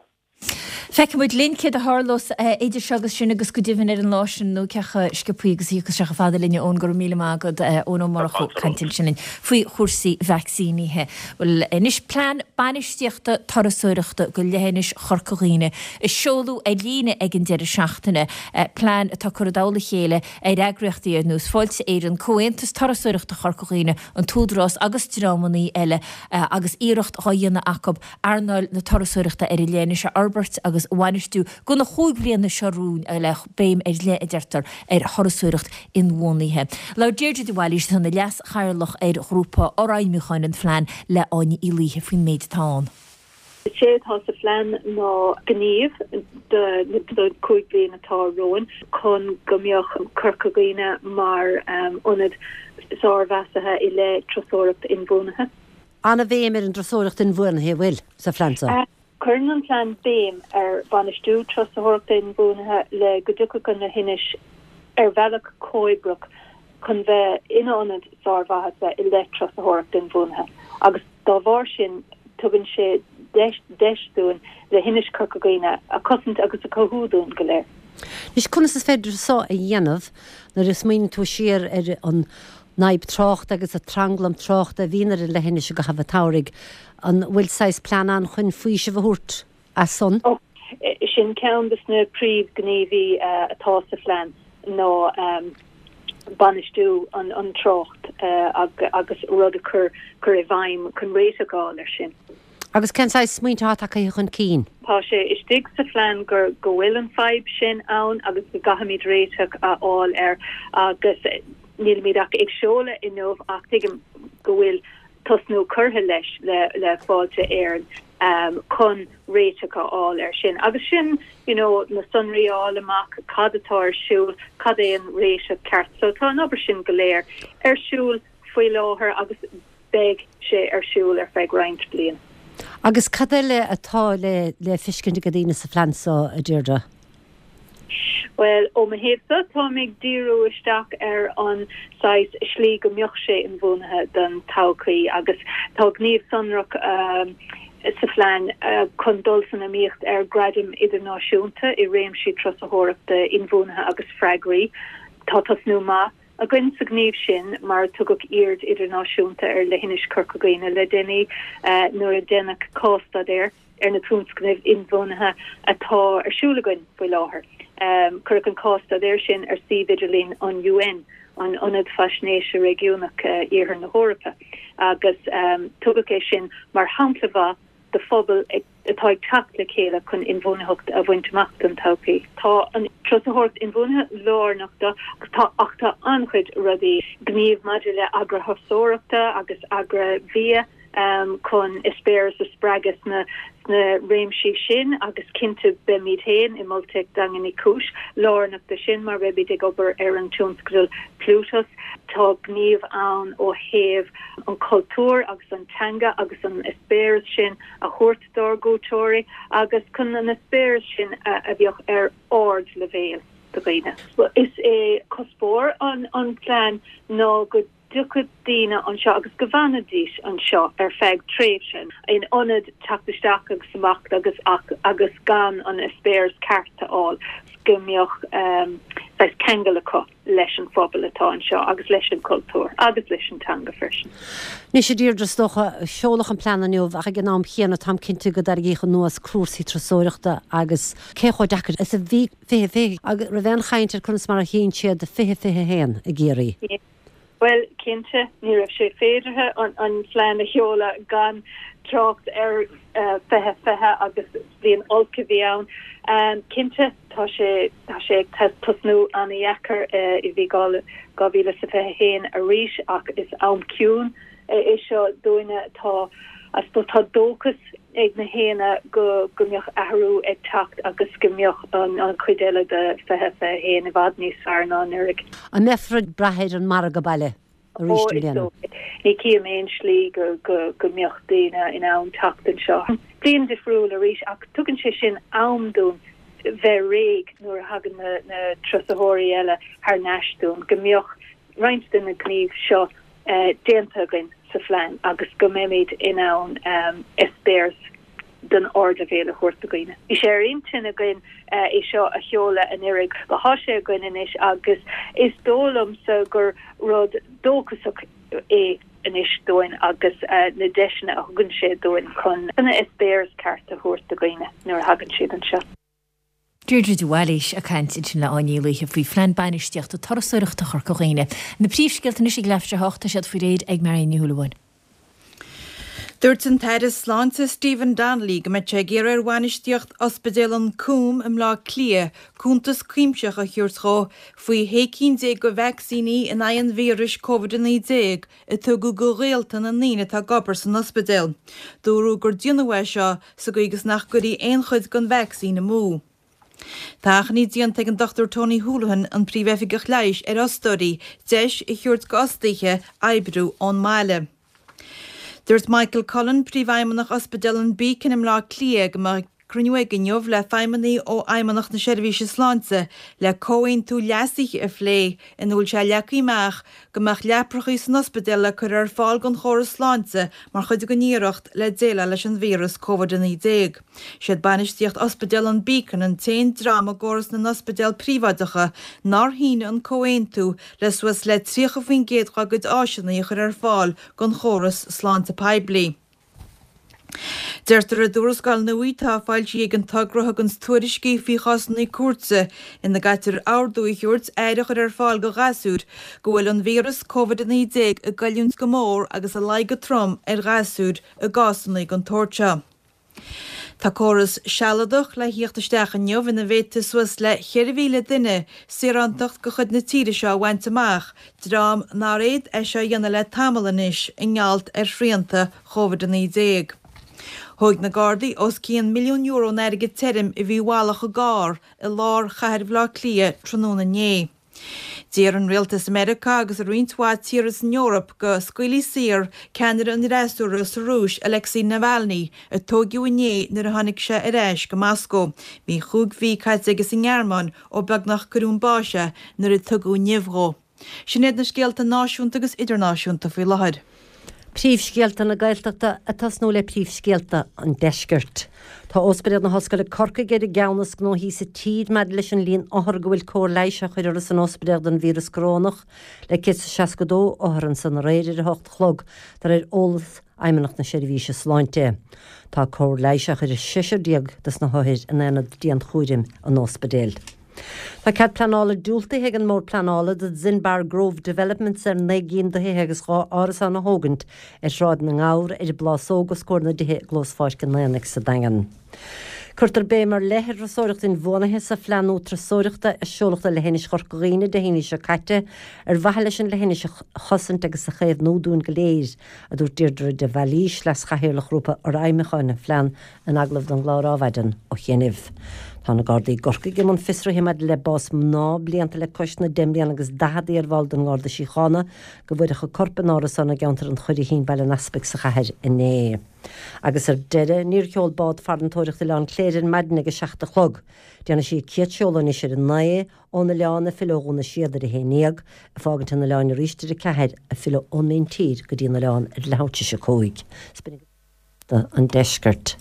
Feicfidh muid linn céard a tharlós idir seo agus sin agus go deimhin ar an lá sin nó cé chomh sciobtha agus a thiocfas sé chomh fada linne Eoin go raibh míle maith agat Eoin Ó Murchú ag caint ansin linn faoi chúrsaí vacsaínithe. Bhuel anois plean bainistíochta turasóireachta go leithinis Chorca Dhuibhne a seoladh ar líne ag an deireadh seachtaine, plean atá curtha i dtoll a chéile ar eagraíochtaí ar nós Fáilte Éireann, Comhaontas Turasóireachta Chorca Dhuibhne, an tÚdarás agus dreamannaí eile agus iarracht dhá dhéanamh acu earnáil na turasóireachta ar an leithinis a fhorbairt agus a bhainistiú go na chúig bhliana seo romhainn le béim ar leith, a deirtear, ar thurasóireacht inbhuanaithe. Labhair Deirdre de Bhailís, atá ina leas-chathaoirleach ar ghrúpa fhorfheidhmiúcháin an phlean, le Áine Uí Laoithe faoin méid atá ann. Is é atá sa phlean ná gníomh do na cúig bliana atá romhainn chun go mbeadh Corca Dhuibhne mar ionad sármheasartha i leith turasóireacht inbhuanaithe. An-bhéim ar an dturasóireacht inbhuanaithe, an bhfuil, sa phlean seo? Cuireann an plean béim ar bhainistiú turasóireachta inbhuanaithe le go dtiocfadh an leithinis ar bhealach comhoibríoch chun bheith ina ionad sármhaitheasa i leith turasóireacht inbhuanaithe agus dá bharr sin tugann sé deis dúinn leithinis Chorca Dhuibhne a chosaint agus a chothú dúinn go léir. Anois, conas is féidir seo a dhéanamh nuair a smaoiníonn tú siar ar an fhadhb tráchta agus an tranglam tráchta a bhíonn ar an leithinis i gcaitheamh an tsamhraidh? An bhfuil saghas plean ann chun faoiseamh a thabhairt as san? Ó, sin ceann de na príomhghníomhaí atá sa phlean ná bainistiú an trácht agus rud a chur chur i bhfeidhm chun réiteach a fháil air sin. Agus cén saghas smaointe atá tagtha chun cinn? Tá sé istigh sa phlean gur go bhfuil an fadhb sin ann agus go gcaithfimid réiteach a fháil air agus nílimid ach ag seoladh inniu ach tuigim go bhfuil tosnú curtha leis le le Fáilte Éireann chun réiteach a fháil air sin. Agus sin you know na sonraí a fháil amach, cad atá ar siúl, cad é an réiteach ceart. So tá an obair sin go léir ar siúl faoi láthair agus beidh sé ar siúl ar feadh roinnt bliain. Agus cad eile atá le le feiscint ag daoine sa phlean seo, a Deirdre? Bhuel, ó mo thaobhsa, táim ag díriú isteach ar an saghas slí go mbeadh sé inbhuanaithe don todhchaí agus tá gníomh sonrach sa phlean chun dul san iomaíocht ar ghradaim idirnáisiúnta i réimsí turasóireachta inbhuanaithe agus freagraí. Tá tosnú maith againn sa ghníomh sin mar tugadh aird idirnáisiúnta ar leithinis Chorca Dhuibhne le déanaí nuair a déanadh cás-staidéar ar na tionscnaimh inbhuanaithe atá ar siúl againn faoi láthair. Cuireadh an cás-staidéar sin ar suíomh idirlín an UN, an Ionad Faisnéise Réigiúnach Iarthar na hEorpa, agus tugadh é sin mar shampla mhaith do phobal atá ag teacht le chéile chun inbhuanaitheacht a bhaint amach don todhchaí. Tá an turasóireacht inbhuanaithe lárnach do tá ach tá an-chuid rudaí, gníomh maidir le agrathurasóireachta agus agraibhia chun eispéireas a spreagadh sna sna réimsí sin agus cinnte beimid féin i Molteic Daingean Uí Chúis lárnach do sin mar beimid ag obair ar an tionscadal Plutus. Tá gníomh ann ó thaobh an cultúr agus an teanga agus an eispéireas sin a thabhairt dár gcuairteoirí agus chun an eispéireas sin a bheadh ar ardleibhéal do dhaoine. Is é cuspóir an an plean ná go dtiocfadh daoine anseo agus go bhfanfaidís anseo ar feadh tréimhse, in ionad teacht isteach agus amach agus agus gan an eispéireas ceart a fháil, go mbeadh saghas ceangal acu leis an phobal atá anseo agus leis an chultúr agus leis an teanga freisin. Anois, a Deirdre, is dócha, seoladh an plean inniu ach ag an am chéanna táim cinnte go dtarraingíodh anuas cúrsaí turasóireachta agus cé chomh deacair is a bhí fiche fiche agus raibh aon chaint ar conas mar a tchíonn siad fiche fiche a haon i gCiarraí. Bhuel, cinnte, ní raibh sé féideartha an an phlean a sheoladh gan trácht ar fiche fiche agus bliain olc a bhí ann. Cinnte, tá sé tá sé ag tosnú an-dheacair i bhí dhá dhá mhíle is a fiche haon arís ach is am ciúin é seo dúinne. Tá I suppose tá dóchas ag na héinne go go mbeadh athrú ag teacht agus go mbeadh an an chuid eile de fiche fiche haon i bhfad níos fearr ná anuraidh. An mbeifear ag brath ar an margadh baile arís i mbliana? Ní chím aon slí go go go mbeadh daoine in ann teacht anseo. Bliain difriúil arís ach tugann sé sin am dúinn bheith réidh nuair a thagann na na turasóirí eile thar n-ais dúinn, go mbeadh roinnt de na gnímh seo déanta againn sa phlean agus go mbeimid in ann eispéireas den ardleibhéal a thabhairt do dhaoine. Bhí sé ar intinn againn é seo a sheoladh anuraidh, but tá sé againn anois agus is dóigh liomsa gur rud dóchasach é anois dúinn agus na deiseanna a thugann sé dúinn chun an eispéireas ceart a thabhairt do dhaoine nuair a thagann siad anseo. Deirdre de Bhailís ag caint ansin le Áine Ní Laoithe faoi Phlean Bainistíochta Turasóireachta Chorca Dhuibhne. Na príomhscéalta anois ag leathuair tar éis a hocht, tá siad faoi réir ag Marion Ní Shúilleabháin. Dúirt an tAire Sláinte Stephen Donnelly go mbeidh sé ag iarraidh ar bhainistíocht Ospidéal an Coombe i mBleá Cliath cuntas cuimsitheach a thabhairt dhó faoi shé cinn déag de vacsaíní in aghaidh an víris Covid a naoi déag a tugadh do ghaolta na ndaoine atá ag obair san ospidéal. Dúradh gur déanadh é seo sa gcaoi agus nach gcuirfí aon chuid den vacsaín amú. Tá achainí déanta ag an Dochtúir Tony Holohan, an Príomh-Oifigeach Leighis, ar fhostóirí deis a thabhairt d'fhostaithe oibriú ón mbaile. Dúirt Michael Cullen, Príomhfheidhmeannach Ospidéal an Beacon i mBleá Cliath, go mbeidh cruinniú aige inniu le feidhmeannaigh ó Fheidhmeannacht na Seirbhíse Sláinte le comhaontú leasaithe a phlé ina bhfuil sé leagtha amach go mbeadh leaprachaí san ospidéal le cur ar fáil don chóras sláinte mar chuid den iarracht le déileáil leis an víreas Covid a naoi déag. Siad bainistíocht Ospidéal an Beacon an t-aon dream i gcóras na n-ospidéal príobháideacha nár shínigh an comhaontú le suas le tríocha faoin gcéad dá gcuid áiseanna a chur ar fáil don chóras sláinte poiblí. Deirtear i dtuarascáil nua atá foilsithe ag an togra a thuganns tuairiscí faoi chásanna cúirte ina gcaitear ordú a thabhairt aire a chur ar fáil do ghasúir go bhfuil an víreas Covid a naoi déag ag goilliúint go mór agus ag luí go trom ar ghasúir i gcásanna den tsórt seo. Tá córas sealadach le thíocht isteach inniu ina bhféadfaidh suas le ceithre mhíle duine saorántacht de chuid na tíre seo a bhaint amach, dream nár fhéad é seo a dhéanamh le tamall anois i ngeall ar shrianta Covid a naoi déag. Thóig na Gardaí os cionn milliún euro in airgead tirim a bhí i bhfalach i gcarr i lár chathair Bhaile Átha Cliath tráthnóna inné. D'iarr an rialtas i Meiriceá agus i roinnt mhaith tíortha san Eoraip go scaoilfí saor ceannaire an fhreasúra sa Rúis, Alexei Navalny, a tóigeadh inné nuair a tháinig sé ar ais go Moscó. Bhí chúig mhí caite aige sa nGearmáin ó beagnach cuireadh chun báis é nuair a tugadh nimh dhó. Sin iad na scéalta náisiúnta agus idirnáisiúnta faoi láthair. Príomhscéalta na Gaeltachta ag tosnú le príomhscéalta an Deiscirt. Tá Ospidéal na hOllscoile Corcaigh ar an gceann is gnóthaí sa tír maidir leis an líon othar go bhfuil cóir leighis á chur orthu san ospidéal don víreas corónach, le céad is seasca dó othar ansan aréir ar a hocht a chlog, de réir eolas Fheidhmeannacht na Seirbhíse Sláinte. Tá cóir leighis á chur ar seisear déag dos na hothair in aonad dianchúraim an ospidéil. Tá cead pleanála diúltaithe ag an mBord Pleanála do Zinbar Grove Developments ar naoi gcinn de thithe agus dhá árasán a thógaint ar Shráid na nGabhar ar an bPlásóg os comhair na dtithe i gclós Pháirc an Aonaigh sa Daingean. Cuirtear béim ar leith ar thurasóireacht inbhuanaithe sa phlean nua turasóireachta a seoladh do Leithinis Chorca Dhuibhne Dé hAoine seo caite ar mhaithe leis an leithinis a chosaint agus a chaomhnú dúinn go léir, a dúirt Deirdre de Bhailís, Leas-Chathaoirleach Ghrúpa Fhorfheidhmiúcháin an Phlean in agallamh don gclár Adhmhaidin ó chianaibh. Tá na Gardaí i gCorcaigh i mbun fiosraithe maidir le bás mná blianta le cois na deich mbliana agus daichead, iarbhall den nGarda Síochána, go bhfuaireadh a corp in árasán i gceantar an Churraichín, Baile an Easpaig sa chathair inné. Agus ar deireadh, níor sheol bád farantóireachta Oileán Cléire ar maidin ag a seacht a chlog. Déanfaidh sí a céad seoladh anois ar a naoi ón oileán ag filleadh ó Dhún na Séad ar a haon déag, ag fágaint an oileáin arís ar a ceathair, ag filleadh ón míntír go dtí an oileán ar leathuair tar éis a cúig. an Deiscirt.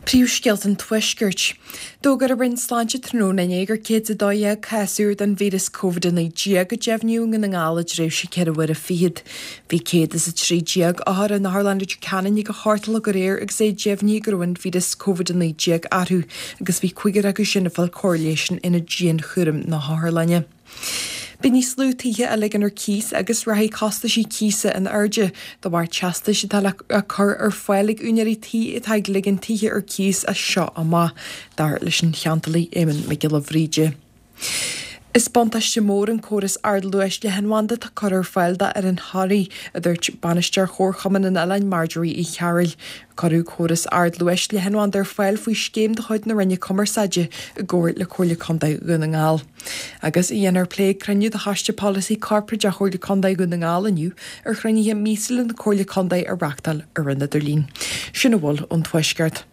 Príomhscéalta an Tuaiscirt. D'fhógair an Roinn Sláinte tráthnóna inné gur céad is a dó dhéag cás úr den víreas Covid a naoi déag a deimhníodh i nDún na nGall i dtréimhse ceithre huaire fichead. Bhí céad is a trí déag othar in Otharlann Leitir Ceanainn ag a hocht a chlog aréir agus é deimhnithe go raibh an víreas Covid a naoi déag orthu agus bhí cúigear acu sin ag fáil cóir leighis in ionad dianchúraim na hotharlainne. Beidh níos lú tithe á ligean ar cíos agus rachaidh costaisí cíosa in airde de bharr teastais atá le cur ar fáil ag úinéirí tí atá ag ligean tithe ar cíos as seo amach, dar leis an cheantálaí Éamonn Mac Giolla Bhríde. Is buntáiste mór an córas ardluais leathanbhanda atá curtha ar fáil d'fhoireann Thoraí, a dúirt Bainisteoir Chomharchumann an Oileáin Marjorie Uí Chearúil. Cuireadh córas ardluais leathanbhanda ar fáil faoi scéim de chuid na Roinne Cumarsáide i gcomhar le Comhairle Contae Dhún na nGall. Agus a dhéanfar plé ag cruinniú de Choiste Polasaí Corparáideach Chomhairle Contae Dhún na nGall inniu ar chruinnithe míosúla na Comhairle Contae a reáchtáil ar an idirlíon. Sin a bhfuil ón Tuaisceart.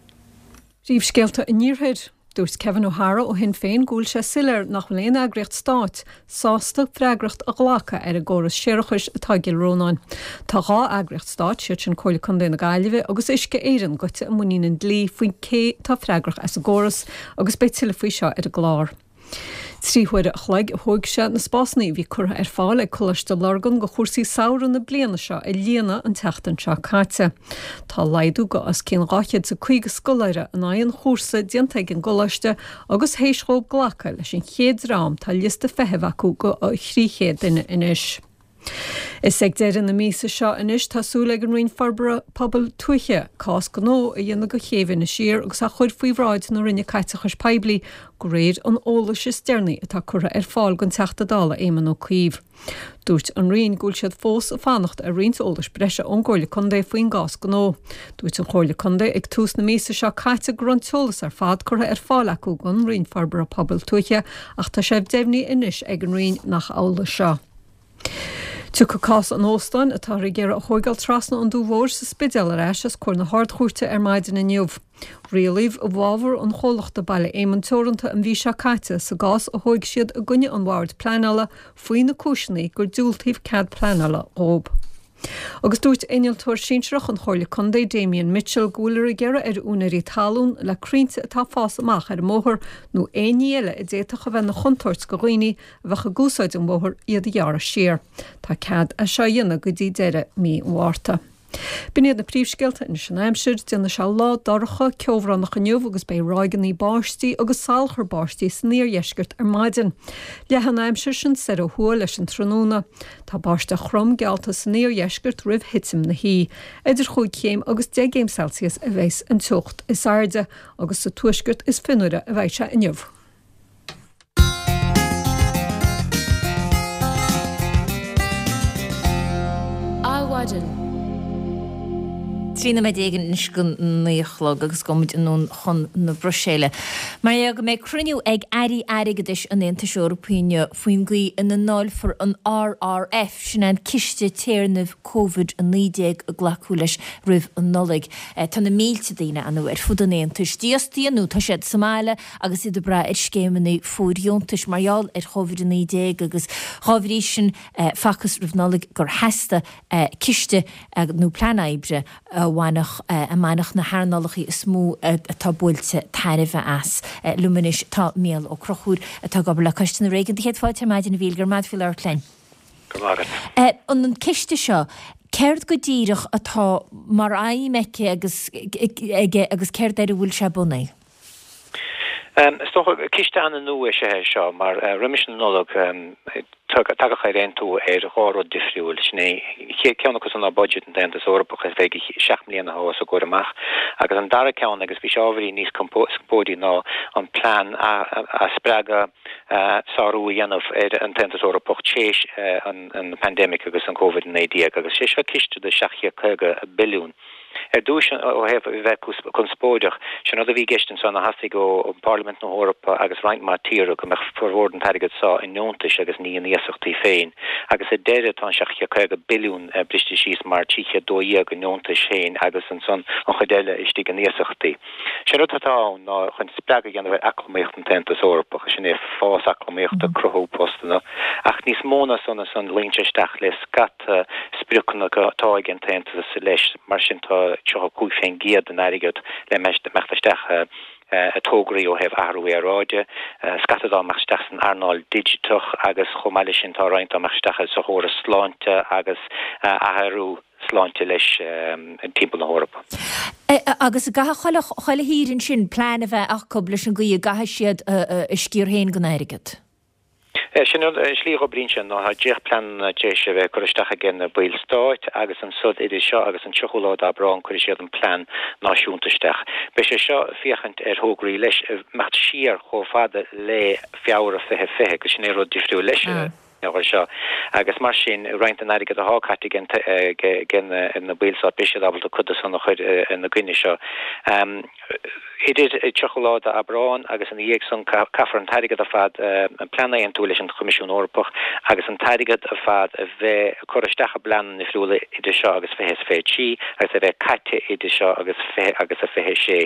Príomhscéalta an Iarthair. Dúirt Kevin O'Hara ó Shinn Féin go bhfuil sé soiléir nach bhfuil aon eagraíocht stáit sásta freagracht a ghlacadh ar an gcóras séarachais atá i gCill Rónáin. Tá dhá eagraíocht stáit, siad sin Comhairle Contae na Gaillimhe agus Uisce Éireann, goite i muinín an dlí faoin cé atá freagrach as an gcóras agus beidh tuilleadh faoi seo ar an gclár. Trí huaire a chloig a thóg sé na spásanna a bhí curtha ar fáil ag Coláiste Lurgan go chúrsaí samhraidh na bliana seo a líonadh an tseachtain seo caite. Tá laghdú go os cionn dhá chéad is a caoga scoláire in aghaidh an chúrsa déanta ag an gcoláiste agus théis dhóibh glacadh leis an chéad dream tá liosta feithimh acu go thrí chéad duine anois. Is ag deireadh na míosa seo anois tá súil ag an Roinn Forbartha Pobail Tuaithe cás gnó a dhéanamh go Chéibh Inis Oírr agus a chur faoi bhráid na Roinne Caiteachais Poiblí de réir an eolais is deireanaí atá curtha ar fáil don Teachta Dála Éamon Ó Cuív. Dúirt an Roinn go bhfuil siad fós ag fanacht ar roinnt eolais breise ón gComhairle Contae faoin gcás gnó. Dúirt an Chomhairle Contae ag tús na míosa seo caite go raibh an t-eolas ar fad curtha ar fáil acu don Roinn Forbartha Pobail Tuaithe ach tá sé deimhnithe anois ag an Roinn nach amhlaidh seo. Tiocfaidh cás an óstáin atáthar ag iarraidh a thóigeáil trasna an Dumha Mhóir sa Spidéal ar ais os comhair na hArd-Chúirte ar maidin inniu. Rialaíodh i bhfabhar an chomhlachta Baile Éamonn Teoranta an mhí seo caite sa gcás a thóig siad i gcoinne an Bhoird Pleanála faoi na cúiseanna gur diúltaíodh cead pleanála dhóibh. Agus dúirt Innealtóir Sinsearach an Chomhairle Contae Damien Mitchell go bhfuiltear ag iarraidh ar úinéirí talún le crainnte atá ag fás amach ar an mbóthar nó aon ní eile a d'fhéadfadh a bheith ina chontúirt go dhaoine a bheadh ag úsáid an bhóthair iad a ghearradh siar. Tá cead é seo a dhéanamh go dtí deireadh mí an Mhárta. B'in iad na príomhscéalta anois an aimsir, déanfaidh sé lá dorcha, ceobhránach inniu agus beidh ráigeanna báistí agus salachar báistí san iardheisceart ar maidin. Leathfaidh an aimsir sin soir ó thuaidh leis an tráthnóna. Tá báisteach throm geallta san iardheisceart roimh thitim na hoíche. Idir chúig chéim agus deich gcéim Celsius a bheas an teocht is airde agus sa tuaisceart is fionnuaire a bheidh sé inniu. Adhmhaidin. Trí nóiméad déag anois go naoi a chlog agus gabhfaimid anonn chun na Bruiséile. Mar dhea go mbeidh cruinniú ag Airí Airgeadais an Aontais Eorpaigh inniu faoin gcaoi ina ndáilfear an RRF, sin é an Ciste Téarnaimh Covid a naoi déag a glacadh leis roimh an Nollaig. Tá na mílte daoine ann ar fud an Aontais dífhostaithe nó tá siad sa mbaile agus iad ag brath ar scéimeanna fóirdheontais mar gheall ar Chóivid a naoi déag agus dhá bhrí sin facthas roimh Nollaig gur theastaigh ciste nó plean oibre a bhainfeadh a mbainfeadh na hearnálacha is mó atá buailte tairbhe as. Liom anois tá Mícheál Ó Conchúir atá ag obair le Coiste na Réigiún. Do chéad fáilte ar maidin a Mhíchíl, go raibh maith agat faoi labhairt linn. Go raibh maith agat. An ciste seo, céard go díreach atá mar aidhm aici agus aige agus céard air a bhfuil sé bunaithe? Is dócha, ciste an-nua is ea é seo, mar roimis an Nollaig tagadh ar aontú ar dhá rud difriúil. Sin é, an chéad ceann acu san ná budget an tAontas Eorpach ar feadh seacht mbliana atá os ár gcomhair amach, agus an dara ceann, agus bhí sé ábhairín níos conspóidí, ná an plean a spreagadh sárú a dhéanamh ar an tAontas Eorpach tar éis an pandemic agus an Covid a naoi déag, agus sé seo ciste de seacht chéad caoga billiún. Ar dtús, ó thaobh a bheith conspóideach, sé an rud a bhí i gceist anso ná theastaigh ó Pharlaimint na hEorpa agus roinnt mhaith tíortha go mbeadh formhór den t-airgead so i ndeontais agus ní in iasachtaí féin. Agus ar deireadh tá an seacht chéad caoga billiún briste síos mar trí chéad dó dhéag i ndeontais féin agus ansan an chuid eile istigh in iasachtaí. Sé an rud atá ann ná chun spreagadh a dhéanamh ar eacnamaíocht an tAontas Eorpach, sin é fás eacnamaíochta, cruthú postanna, ach níos mó ná san ansan luíonn sé isteach le scata spriocanna atá ag an tAontas leis, mar sin tá tríocha cúig fén gcéad den airgead le imeacht isteach i dtograí ó thaobh athrú aeráide, scata dá imeacht isteach san earnáil digiteach agus chomh maith leis sin tá roinnt dá imeacht isteach sa chóras sláinte agus athrú sláinte leis timpeall na hEorpa. Agus caithfidh chuile thír ansin plean a bheith acu leis an gcaoi a gcaithfidh siad a sciar féin den airgead. Sin an slí a oibríonn sé ná tá dréachtphleananna tar éis a bheith curtha isteach ag na baill stáit agus ansan idir seo agus an tríochú lá d'Aibreán cuirfidh siad an plean náisiúnta isteach. Beidh sé seo ag féachaint ar thograí leis ag imeacht siar chomh fada le Feabhra fiche fiche agus sin é rud difriúil leis an uair seo agus mar sin roinnt den airgead atá caite ag na baill stáit beidh siad ábalta cuid de san a chur ina gcoinne seo. Idir tríocha lá d'Aibreán agus ina dhiaidh san caithfear an t-airgead ar fad, an plean a aontú leis an Choimisiún Eorpach agus an t-airgead ar fad a bheith curtha isteach i bpleananna difriúla idir seo agus fiche is fiche trí agus a bheith caite idir seo agus fiche agus a fiche sé.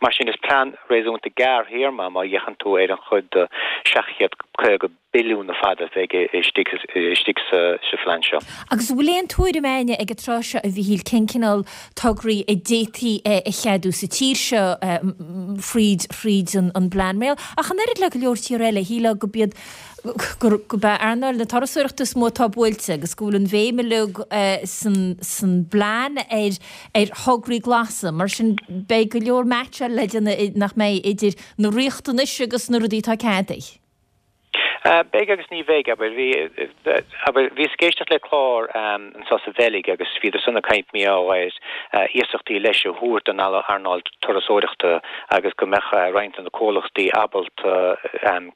Mar sin is plean réasúnta gearrthéarma má fhéachann tú ar an chuid de seacht chéad caoga billiún ar fad a bheidh istigh istigh sa phlean seo. Agus an bhfuil aon tuairim againne ag an tráth seo, a Mhichíl, cén cineál tograí a d'fhéadfaí a cheadú sa tír seo fríd fríd an bplean? Mar ach an oiread le go leor tíortha eile, shílfeá go b'iad gur gurb é earnáil na turasóireachta is mó atá buailte agus go bhfuil an bhéim uilig san san bplean ar ar thograí glasa. Mar sin beidh go leor meaitseáil le déanamh nach mbeidh idir na riachtanais agus na rudaí atá ceadaithe. Beidh agus ní bheidh, abair. Bhí, abair, bhíos ag éisteacht le clár anseo sa Bheilg agus bhíodar san ag caint mar gheall ar iasachtaí leis a thabhairt don earnáil turasóireachta agus go mbeadh roinnt de na comhlachtaí ábalta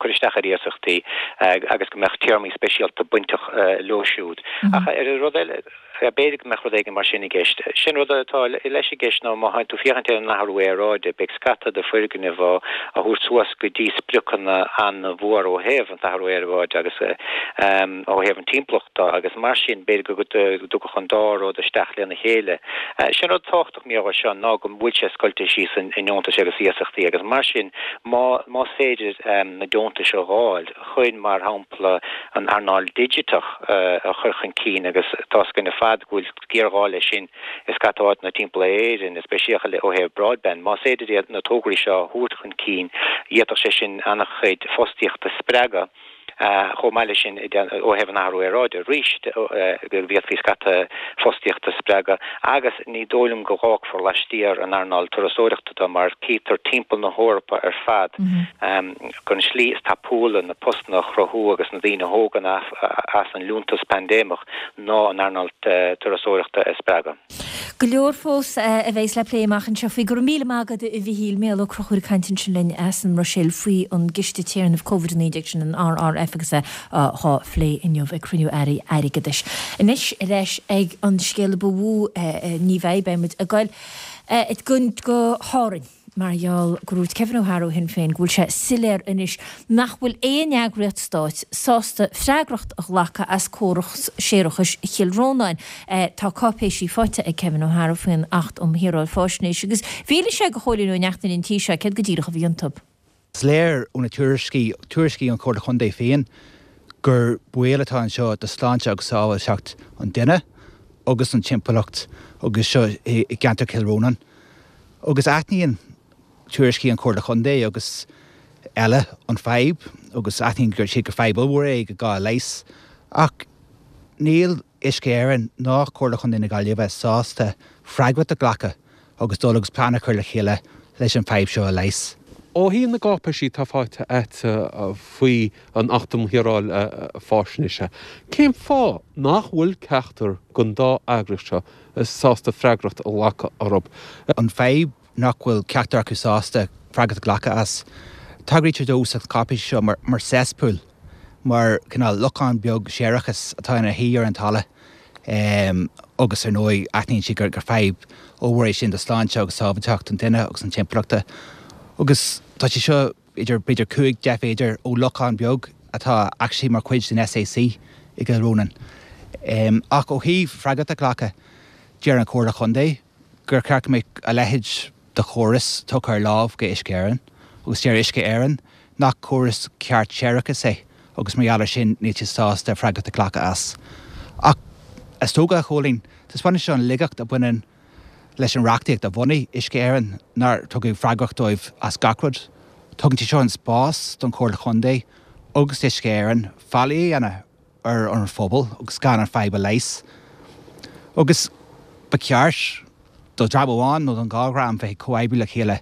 cur isteach ar iasachtaí agus go mbeadh téarmaí speisialta bainteach leo siúd. Ach ar an rud eile, B'fhéidir go mbeadh rud éigin mar sin i gceist. Sin rud atá leis i gceist ná má théann tú féachaint ar an athrú aeráide, beidh scata de foirgnimh á thabhairt suas go dtí spriocanna an-mhór ó thaobh an t-athrú aeráide agus ó thaobh an timpeallachta agus mar sin b'fhéidir go dtiocfadh an dá rud isteach lena chéile. Sin rud tábhachtach mar gheall air seo ná go bhfuil sé scoilte síos i ndeontais agus iasachtaí agus mar sin más féidir na deontais a dh'fháil, chun, mar shampla, an earnáil digiteach a chur chun cinn agus tá's againn ar fad go bhfuil géarghá leis sin i scata áiteanna timpeall ar Éirinn, is speisialta ó thaobh broadband. Más féidir iad na tograí seo a thabhairt chun cinn, d'fhéadfadh sé sin an-chuid fostaíochta a spreagadh. Chomh maith leis sin, ó thaobh an athrú aeráide arís, go bhféadfaí scata fostaíochta a spreagadh agus ní dóigh liom go bhfágfar laistiar an earnáil turasóireachta de mar cítear timpeall na hEorpa ar fad gur an slí is tapúla na postanna a chruthú agus na daoine a thógaint as an liúntas paindéimeach ná an earnáil turasóireachta a spreagadh. Go leor fós a bheas le plé amach anseo faoi. Go raibh míle maith agat a Mhichíl. Mícheál Ó Conchúir ag caint ansin linn as an mBruiséil faoi an gCiste Téarnaimh Covid a naoi déag sin, an R R F agus é á phlé inniu ag cruinniú Airí Airgeadais. Anois ar ais ag an scéal a ba mhó, ní bheidh, beidh muid ag goil go hÁrainn. Mar gheall go ndúirt Kevin O'Hara ó Shinn Féin go bhfuil sé soiléir anois nach bhfuil aon eagraíocht stáit sásta freagracht a ghlacadh as córas séarachais Chill Rónáin. Tá cáipéisí faighte ag Kevin O'Hara faoin Acht um Shaoráil Faisnéise agus mhínigh sé do Chóilín Ó Neachtain an tí seo céard go díreach a bhí iontu. Is léir ó na tuairiscí, tuairiscí ón Chomhairle Chontae féin, gur baol atá anseo do shláinte agus sábháilteacht an duine agus an timpeallacht agus seo i gceantar Chill Rónáin. Agus aithníonn tuairiscí an Chomhairle Chontae agus eile an fadhb agus aithníonn siad gur fadhb ollmhór é go gá leigheas. Ach níl Uisce Éireann ná Comhairle Chontae na Gaillimhe sásta freagracht a ghlacadh agus dul agus plean a chur le chéile leis an fadhb seo a leigheas. Ó thaobh na gcáipéisí atá faighte agat faoi an Acht um Shaoráil Faisnéise, cén fáth nach bhfuil ceachtar den dá eagraíocht seo sásta freagracht a ghlacadh orthu? An fadhb nach bhfuil ceachtar acu sásta freagracht a ghlacadh as. Tagraítear dó sa cháipéis seo mar mar cesspool, mar cineál lochán beag séarachais atá ina shuí ar an talamh agus ar ndóigh aithníonn siad gur gur fadhb ollmhór é sin do shláinte agus sábháilteacht an duine agus an timpeallachta. Agus tá sé seo idir b'fhéidir cúig, deich mhéadar ó lochán beag atá actually mar chuid den S A C i gCill Rónáin. Ach ó thaobh freagracht a ghlacadh, deir an Chomhairle Chontae gur cheart go mbeadh a leithéid de chóras tugtha ar láimh go Uisce Éireann agus deir Uisce Éireann nach córas ceart séarachais é agus mar gheall air sin níl siad sásta freagracht a ghlacadh as. Ach is dócha, a Chóilín, taispeánann sé an laigeacht a bhaineann leis an reachtaíocht a bhunaigh Uisce Éireann nár tugadh freagracht dóibh as gach rud. Tugann sé seo an spás don Chomhairle Chontae agus d'Uisce Éireann faillí a dhéanamh ar an phobal agus gan an fadhb a leigheas. Agus ba cheart do dhream amháin nó don dhá dhream bheith ag comhoibriú le chéile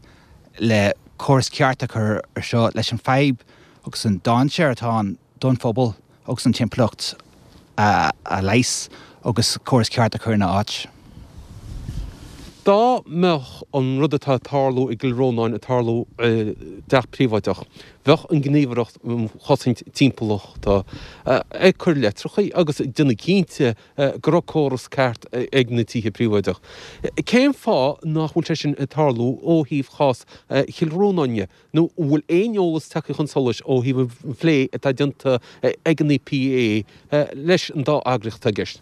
le córas ceart a chur ar seo leis an fadhb agus an dainséar atá ann don phobal agus an timpeallacht a leigheas agus córas ceart a chur ina áit. Dá mbeadh an rud atá ag tarlú i gCill Rónáin ag tarlú i dteach príobháideach, bheadh an Ghníomhaireacht um Chosaint Timpeallachta ag cur litreacha agus ag déanamh cinnte go raibh córas ceart ag na tithe príobháideach. Cén fáth nach bhfuil sé sin ag tarlú ó thaobh chás Chill Rónáin de? Nó an bhfuil aon eolas tagtha chun solais ó thaobh an phlé atá déanta ag an EPA leis an dá eagraíocht atá i gceist?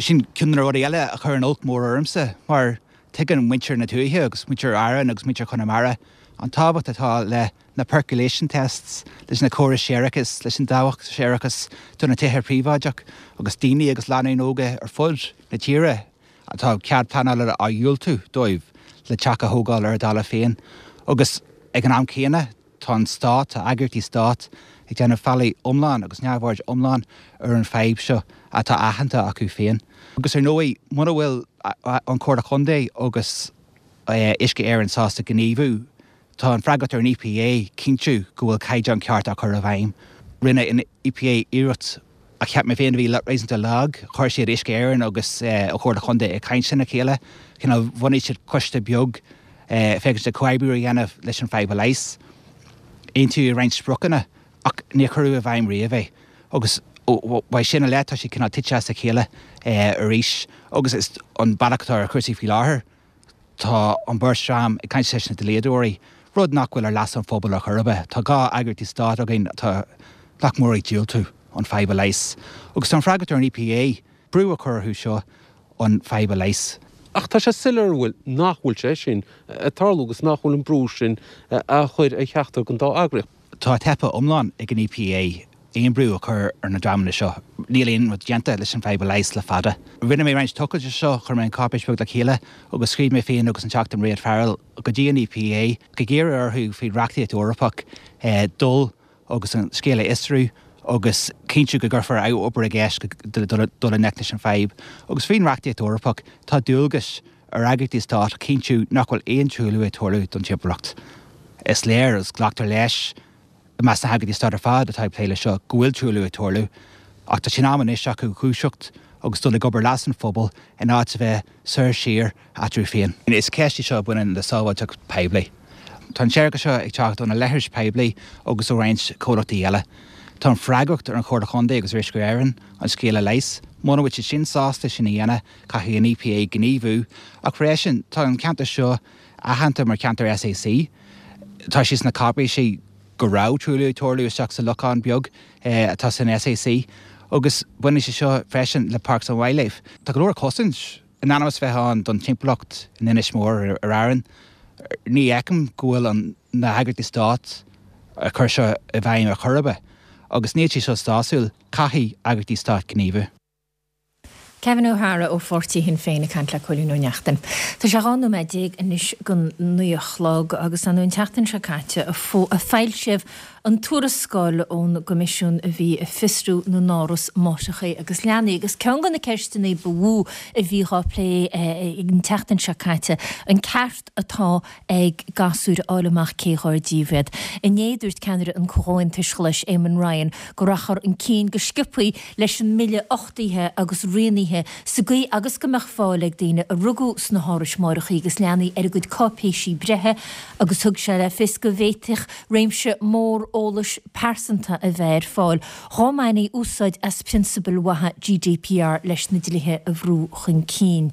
Sin ceann de na rudaí eile a chuireann olc mór ormsa, mar tuigeann muintir na tuaithe agus muintir Árann agus muintir Chonamara an tábhacht atá le na percolation tests, leis na córais séarachais, leis an dabhach séarachais do na tithe príobháideach agus daoine agus lánúin óga ar fud na tíre atá cead pleanála á dhiúltú dóibh le teach a thógáil ar a dtalamh féin. Agus ag an am céanna, tá an Stát, tá eagraíochtaí Stáit ag déanamh faillí iomlán agus neamhaird iomlán ar an fadhb seo atá aitheanta acu féin. Agus ar ndóigh, muna bhfuil an Chomhairle Chontae agus Uisce Éireann sásta gníomhú, tá an freagracht ar an EPA cinntiú go bhfuil caighdeán ceart á chur i bhfeidhm. Rinne an EPA iarracht a cheap mé féin a bhí réasúnta lag, chuir siad Uisce Éireann agus an Chomhairle Chontae ag caint lena chéile, cineál bhunaigh siad coiste beag féachaint le comhoibriú a dhéanamh leis an fadhb a leigheas. Aontaíodh roinnt spriocanna ach níor cuireadh i bhfeidhm riamh é agus uaidh sin i leith tá sé cineál tite as a chéile arís agus is an bealach atá ar chúrsaí faoi láthair tá an bheirt dream ag caint leis na dlíodóirí, rud nach bhfuil ar leas an phobail ar chor ar bith. Tá dhá eagraíochtaí stáit againn atá nach mór ag diúltú an fadhb a leigheas agus tá an freagracht ar an EPA brú a chur orthu seo an fadhb a leigheas. Ach tá sé soiléir an bhfuil, nach bhfuil sé sin ag tarlú agus nach bhfuil an brú sin á chur ar cheachtar den dá eagraíocht. Tá teipthe iomlán ag an EPA aon brú a chur ar na dreamanna seo. Níl aon rud déanta leis an bhfadhb a leigheas le fada. Rinne mé roinnt tochailte seo, chuir mé an cáipéis beag le chéile agus scríobh mé féin agus an Teachta Mairéad Farrell go dtí an EPA ag iarraidh orthu faoi reachtaíocht Eorpach dul agus an scéal a fhiosrú agus cinntiú go gcuirfear obair i gceist dul i ngleic leis an bhfadhb. Agus faoin reachtaíocht Eorpach tá dualgas ar eagraíochtaí stáit cinntiú nach bhfuil aon truailliú ag tarlú don timpeallacht. Is léir agus glactar leis i measc na heagraíochtaí stáit ar fad atá ag plé leis seo go bhfuil truailliú ag tarlú, ach tá sé in am anois acu dhúiseacht agus dul ag obair leas an phobail in áit a bheith soir siar eatarthu féin. Is ceist í seo a bhaineann le sábháilteacht poiblí. Tá an séarachas seo ag teacht ó na leithris poiblí agus ó roinnt comhlachtaí eile. Tá an freagracht ar an Chomhairle Chontae agus ar Uisce Éireann an scéal a leigheas. Muna bhfuil siad sin sásta sin a dhéanamh, caithfidh an EPA gníomhú. Ach freisin, tá an ceantar seo aitheanta mar cheantar SAC. Tá sé sna cáipéisí go raibh truailliú ag tarlú isteach sa lochán beag atá san SAC agus baineann sé seo freisin le Parks and Wildlife. Tá go leor cosaint in ainm is bheith ann don timpeallacht in Inis Mór ar Árainn. Ní fheicim go bhfuil an na heagraíochtaí stáit ag cur seo i bhfeidhm ar chor ar bith agus níl sé seo sásúil, caithfidh eagraíochtaí stáit gníomhú. Kevin O'Hara ó pháirtí Shinn Féin ag caint le Cóilín Ó Neachtain. Tá sé dhá nóiméad déag anois don naoi a chlog agus an tseachtain seo caite a foilsíodh an tuarascáil ón gCoimisiún a bhí ag fiosrú na n-áras máithreacha agus leanaí agus ceann de na ceisteanna ba mhó a bhí á plé an tseachtain seo caite, an ceart atá ag gasúir a fháil amach cé dhár díobh iad. Inné dúirt ceannaire an Chomhaontais Ghlais, Eamon Ryan, go rachfar chun cinn go sciobtha leis an mbille uchtaithe agus rianaithe sa gcaoi agus go mbeadh fáil ag daoine a rugadh sna hárais máithreacha agus leanaí ar a gcuid cáipéisí breithe agus thug sé le fios go bhféadfadh réimse mór eolais pearsanta a bheith ar fáil dhá mbainfí úsáid as prionsabail mhaithe GDPR leis na dlíthe a bhrú chun cinn.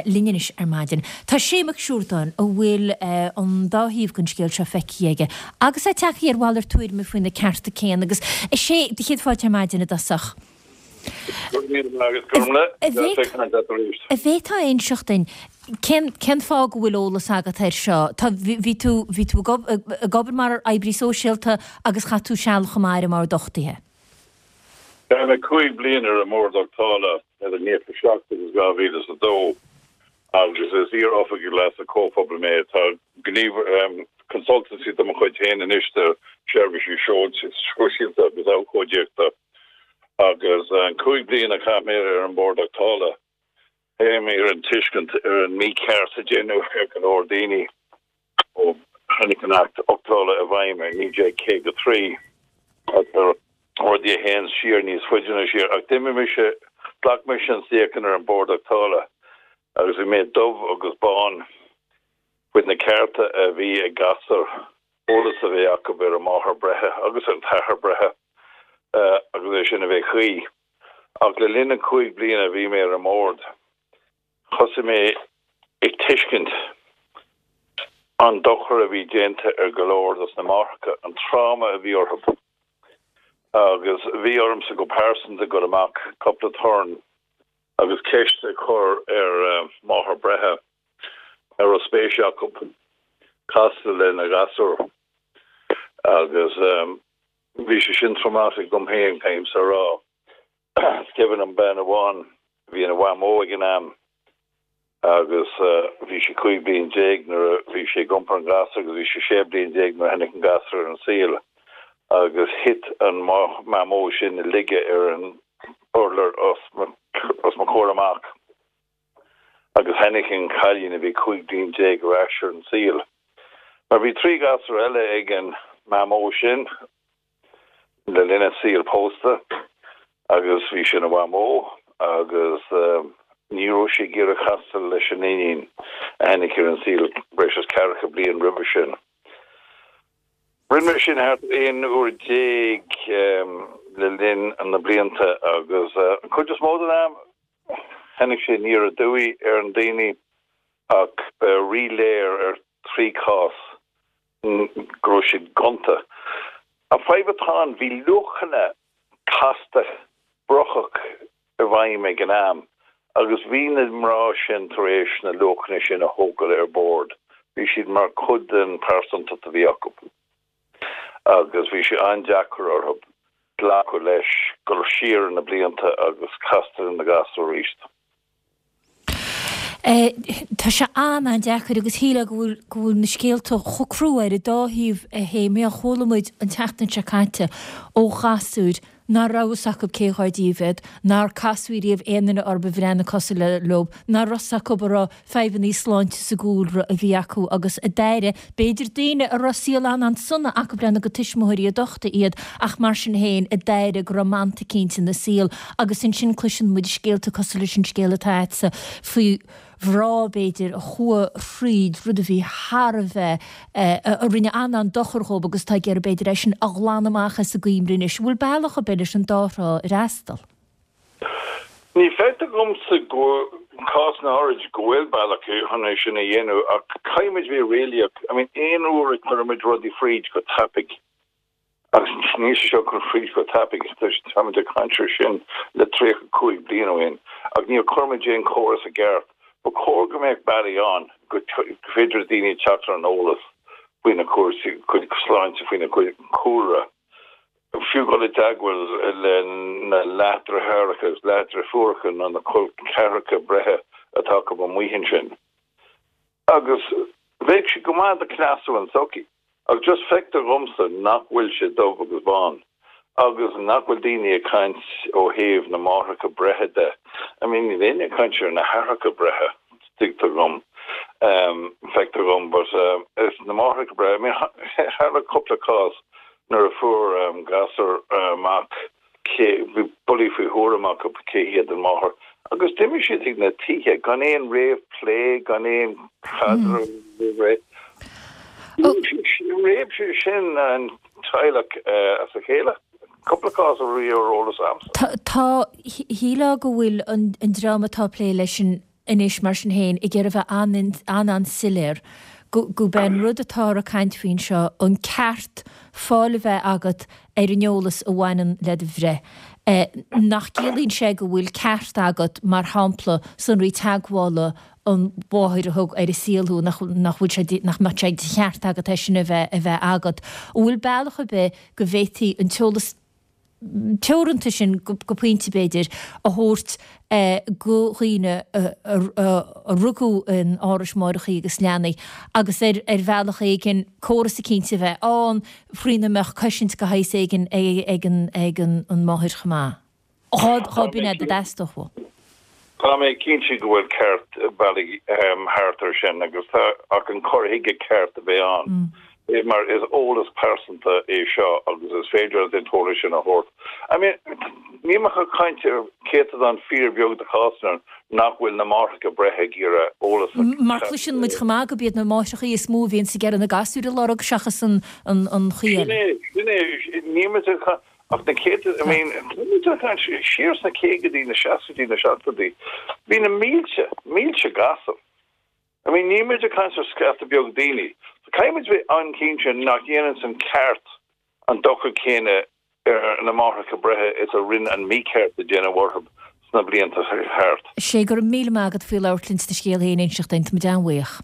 Linn anois ar maidin tá Sé Mac Siúrdáin a bhfuil an dá thaobh den scéal seo feicthe aige agus é tagtha ar mhalairt tuairime faoi na cearta céanna agus a Shé, do chéad fáilte ar maidin i dtosach. Go raibh míle maith agat, Gormlaith. An bhféadfá a inseacht dúinn cén cén fáth go bhfuil eolas agat air seo? Tá bhí tú bhí tú ag obair mar oibrí sóisialta agus chaith tú seal chomh maith ar an mBord Uchtaithe. Chaith mé cúig bliana ar an mBord Uchtála idir naocha seacht agus dhá mhíle is a dó agus is iar-oifigeach leasa comhphobail mé. Tá gníomh consultancy de mo chuid féin anois do sheirbhísí sóisialta agus abhcóideachta. Agus an cúig bliana a chaith mé ar an mBord Uchtála, tháinig mé ar an tuiscint ar an mícheart a deineadh ar go leor daoine ó tháinig an Acht Uchtála i bhfeidhm i naoi déag caoga trí. Rudaí a théann siar níos faide ná siar. Ach d'imigh mise, ghlac mise an suíochán ar an Bord Uchtála agus bhí mé dubh agus bán faoi na cearta a bhí ag gasúir, eolas a bheith acu ar a máthair breithe agus ar an t-athair breithe agus é sin a bheith cuí. Ach le linn na cúig bliana a bhí mé ar an mbord, thosaigh mé ag tuiscint an dochar a bhí déanta ar go leor dos na máithreacha, an tráma a bhí orthu. Agus bhí ormsa go pearsanta dul amach cúpla turn agus ceist a chur ar máthair breithe a raibh spéis acu casadh lena gasúr. Agus bhí sé sin traumatic dom féin, caithfimse a rá. Is cuimhin liom bean amháin a bhí ina mhamó ag an am agus bhí sí cúig bliain déag nuair a bhí sí ag iompar an ghasúir agus bhí sí sé bliain déag nuair a tháinig an gasúr ar an saol agus thit an mamó sin i laige ar an urlár os mo chomhair amach agus tháinig an cailín a bhí cúig bliain déag ar ais ar an saol. Mar bhí trí ghasúr eile ag an mamó sin le linn a saol pósta agus bhí sí ina mhamó agus ní raibh sí ag iarraidh casadh leis an iníon a tháinig ar an saol breis is ceathracha bliain roimhe sin. Rinne mé sin thart aon uair déag le linn na blianta agus an chuid is mó den am tháinig sé aniar aduaidh ar an daoine ach ba ríléir ar trí chás go raibh siad gonta. An fadhb atá ann, bhí luachanna casta brocach i bhfeidhm ag an am agus bhí na mná sin tar éis na luachanna sin a thógáil ar bord, bhí siad mar chuid den pearsantacht a bhí acu agus bhí sé an-deacair orthu glacadh leis, dul siar na blianta agus castáil lena ngasúr arís. Tá sé an-an-deacair agus shílfeá go bhfuil go bhfuil na scéalta chomh crua ar an dá thaobh a Shéimí. Chuala muid an tseachtain seo caite ó ghasúir nach raibh fhios acu cé dhár díobh iad, nár casadh riamh aon duine orthu a bhreathnaigh cosúil leo, nach raibh fhios acu an raibh fadhbanna sláinte sa gcúlra a bhí acu agus a d'aire, b'fhéidir daoine a raibh saol an-an-sona acu lena gcuid tuismitheoirí a d'uchtaigh iad ach mar sin féin a d'aire go raibh manta eicínt ina saol agus ansin cloiseann muid scéalta cosúil leis an scéal atá agatsa faoi mhná b'fhéidir a chuaigh thríd rud a bhí thar a bheith, a rinne an-an-dochar dhóibh agus atá ag iarraidh b'fhéidir é sin a ghlanadh amach as a gcuimhne anois. An bhfuil bealach ar bith leis an dá thrá a fhreastal? Ní feictear dhomsa go cás na háirid go bhfuil bealach chun é sin a dhéanamh ach caithfidh muid bheith réalaíoch. I mean aon uair a chuireann muid rudaí fríd go tapaidh, Agus níl sé seo curtha fríd go tapaidh, táimid ag caint air sin le tríocha cúig bliain ó shin, ach níor chuir muid aon chóras i gceart. Ba chóir go mbeadh bealaí ann go féidir le daoine teacht ar an eolas faoina cúrsaí sláinte, faoina gcuid cúlra, fiú dul i dteagmháil le na leathdheartháireacha agus leathdheirfiúracha nó na col ceathracha breithe atá acu amuigh ansin. Agus bheadh sé go maith do chneasú an tsochaí. Ach just feictear dhomsa nach bhfuil sé dubh agus bán agus nach bhfuil daoine ag caint ó thaobh na máithreacha breithe de. I mean níl éinne ag caint ar na haithreacha breithe, tuigtear dhom, feictear dhom, but is na máithreacha breithe, I mean tharla cúpla cás nuair a fuair gasúr amach cé, bhí bullaí faoi thuairim acu cé hiad an máthair agus d'imigh siad chuig na tithe gan aon réamhphlé, gan aon chaidreamh roimh ré. Réab sé sin an teaghlach as a chéile. Cúpla cás a bhí ar eolas a'msa. Tá, shílfeá go bhfuil an dream atá ag plé leis an anois, mar sin féin, ag iarraidh a bheith an-an-soiléir gurb é an rud atáthar ag caint faoi anseo an ceart fáil a bheith agat ar an eolas a bhaineann le do bhreith. Nach gciallaíonn sé go bhfuil ceart agat, mar shampla, sonraí teagmhála an mháthair a thug ar an saol thú, nach bhfuil sé, nach mbeadh sé de cheart agat é sin a bheith a bheith agat. An bhfuil bealach ar bith go bhféadfaí an t-eolas teoranta sin, go pointe b'fhéidir, a thabhairt go dhaoine a rugadh in árais máithreacha agus leanaí agus ar ar bhealach éigin córas eicínt a bheith ann frína mbeadh cosaint de shaghas éigin ag an ag an máthair chomh maith. Dhá b'in é dá dteastódh uathu. Tá mé cinnte go bhfuil ceart bealaí thart ar sin agus tá ach an cur chuige ceart a bheith ann. Mar is eolas pearsanta é seo agus is féidir an t-eolas sin a thabhairt. I mean, níl muid ag caint ar céatadán fíorbheag de chásanna nach bhfuil na máithreacha breithe ag iarraidh eolas a Mar cloiseann muid chomh maith gurb iad na máithreacha is mó a bhíonn ag iarraidh na gasúir a lorg seachas an an chaoi eile. Sin é, sin é, níl muid ag caint ach na céadta, I mean, níl muid ag caint siar sna caogaidí, na seascaidí, na seachtóidí, bhí na mílte, mílte gasúr. I mean, níl muid ag caint ar scata beag daoine. So caithfidh muid bheith an-chinnte nach dhéanann an ceart an dochar céanna ar na máithreacha breithe is a rinne an mícheart a déanadh orthu sna blianta thart. Sé go raibh míle maith agat faoi labhairt linn is do scéal féin a inseacht dúinn, tá muid an-bhuíoch.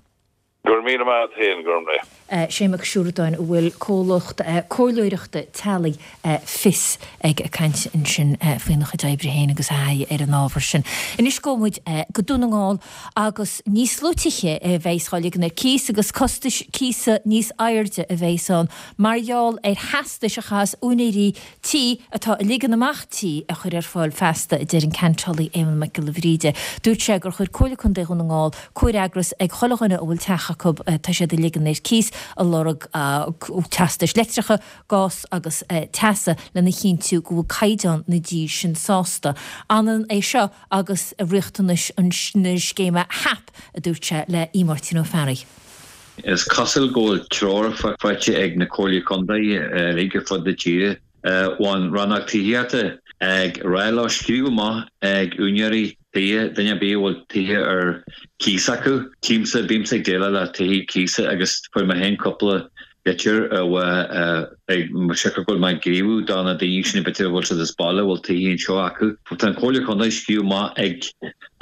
Go raibh míle maith agat féin, Gormlaith. Sé Mac Siúradáin a bhfuil comhlacht comhairleoireachta teaghlaigh Fios ag caint ansin faoina chuid oibre féin agus a thaithí ar an ábhar sin. Anois gabhfaidh muid go Dún na nGall agus níos lú tithe a bheas á ligean ar cíos agus costais cíosa níos airde a bheas ann mar gheall ar theastais a chaithfeas úinéirí tí atá ag ligean amach tí a chur ar fáil feasta, a deir an Ceantálaí Éamonn Mac Giolla Bhríde. Dúirt sé gur chuir Comhairle Contae Dhún na nGall comhfhreagras ag chuile dhuine a bhfuil teach acu tá siad ag ligean ar cíos ag lorg teastais leictreacha, gás agus teasa lena chinntiú go bhfuil caighdeán na dtí sin sásta. Ionann é seo agus riachtanais na scéime HAP, a dúirt sé le Aodh Máirtín Ó Fearraigh. Is cosúil go bhfuil treoir faighte ag na Comhairlí Contae uilig ar fud na tíre ón Rannóg Tithíochta ag rá leo scríobh amach ag úinéirí tithe, duine ar bith a bhfuil tithe ar cíos acu. Tchímse, bímse ag déileáil le tithe cíosa agus fuair mé féin cúpla litir ag siocair go bhfuil mé ag gníomhú do na daoine sin b'fhéidir a bhfuil siad as baile a bhfuil tithe anseo acu. Tá an Chomhairle Contae ag scríobh amach ag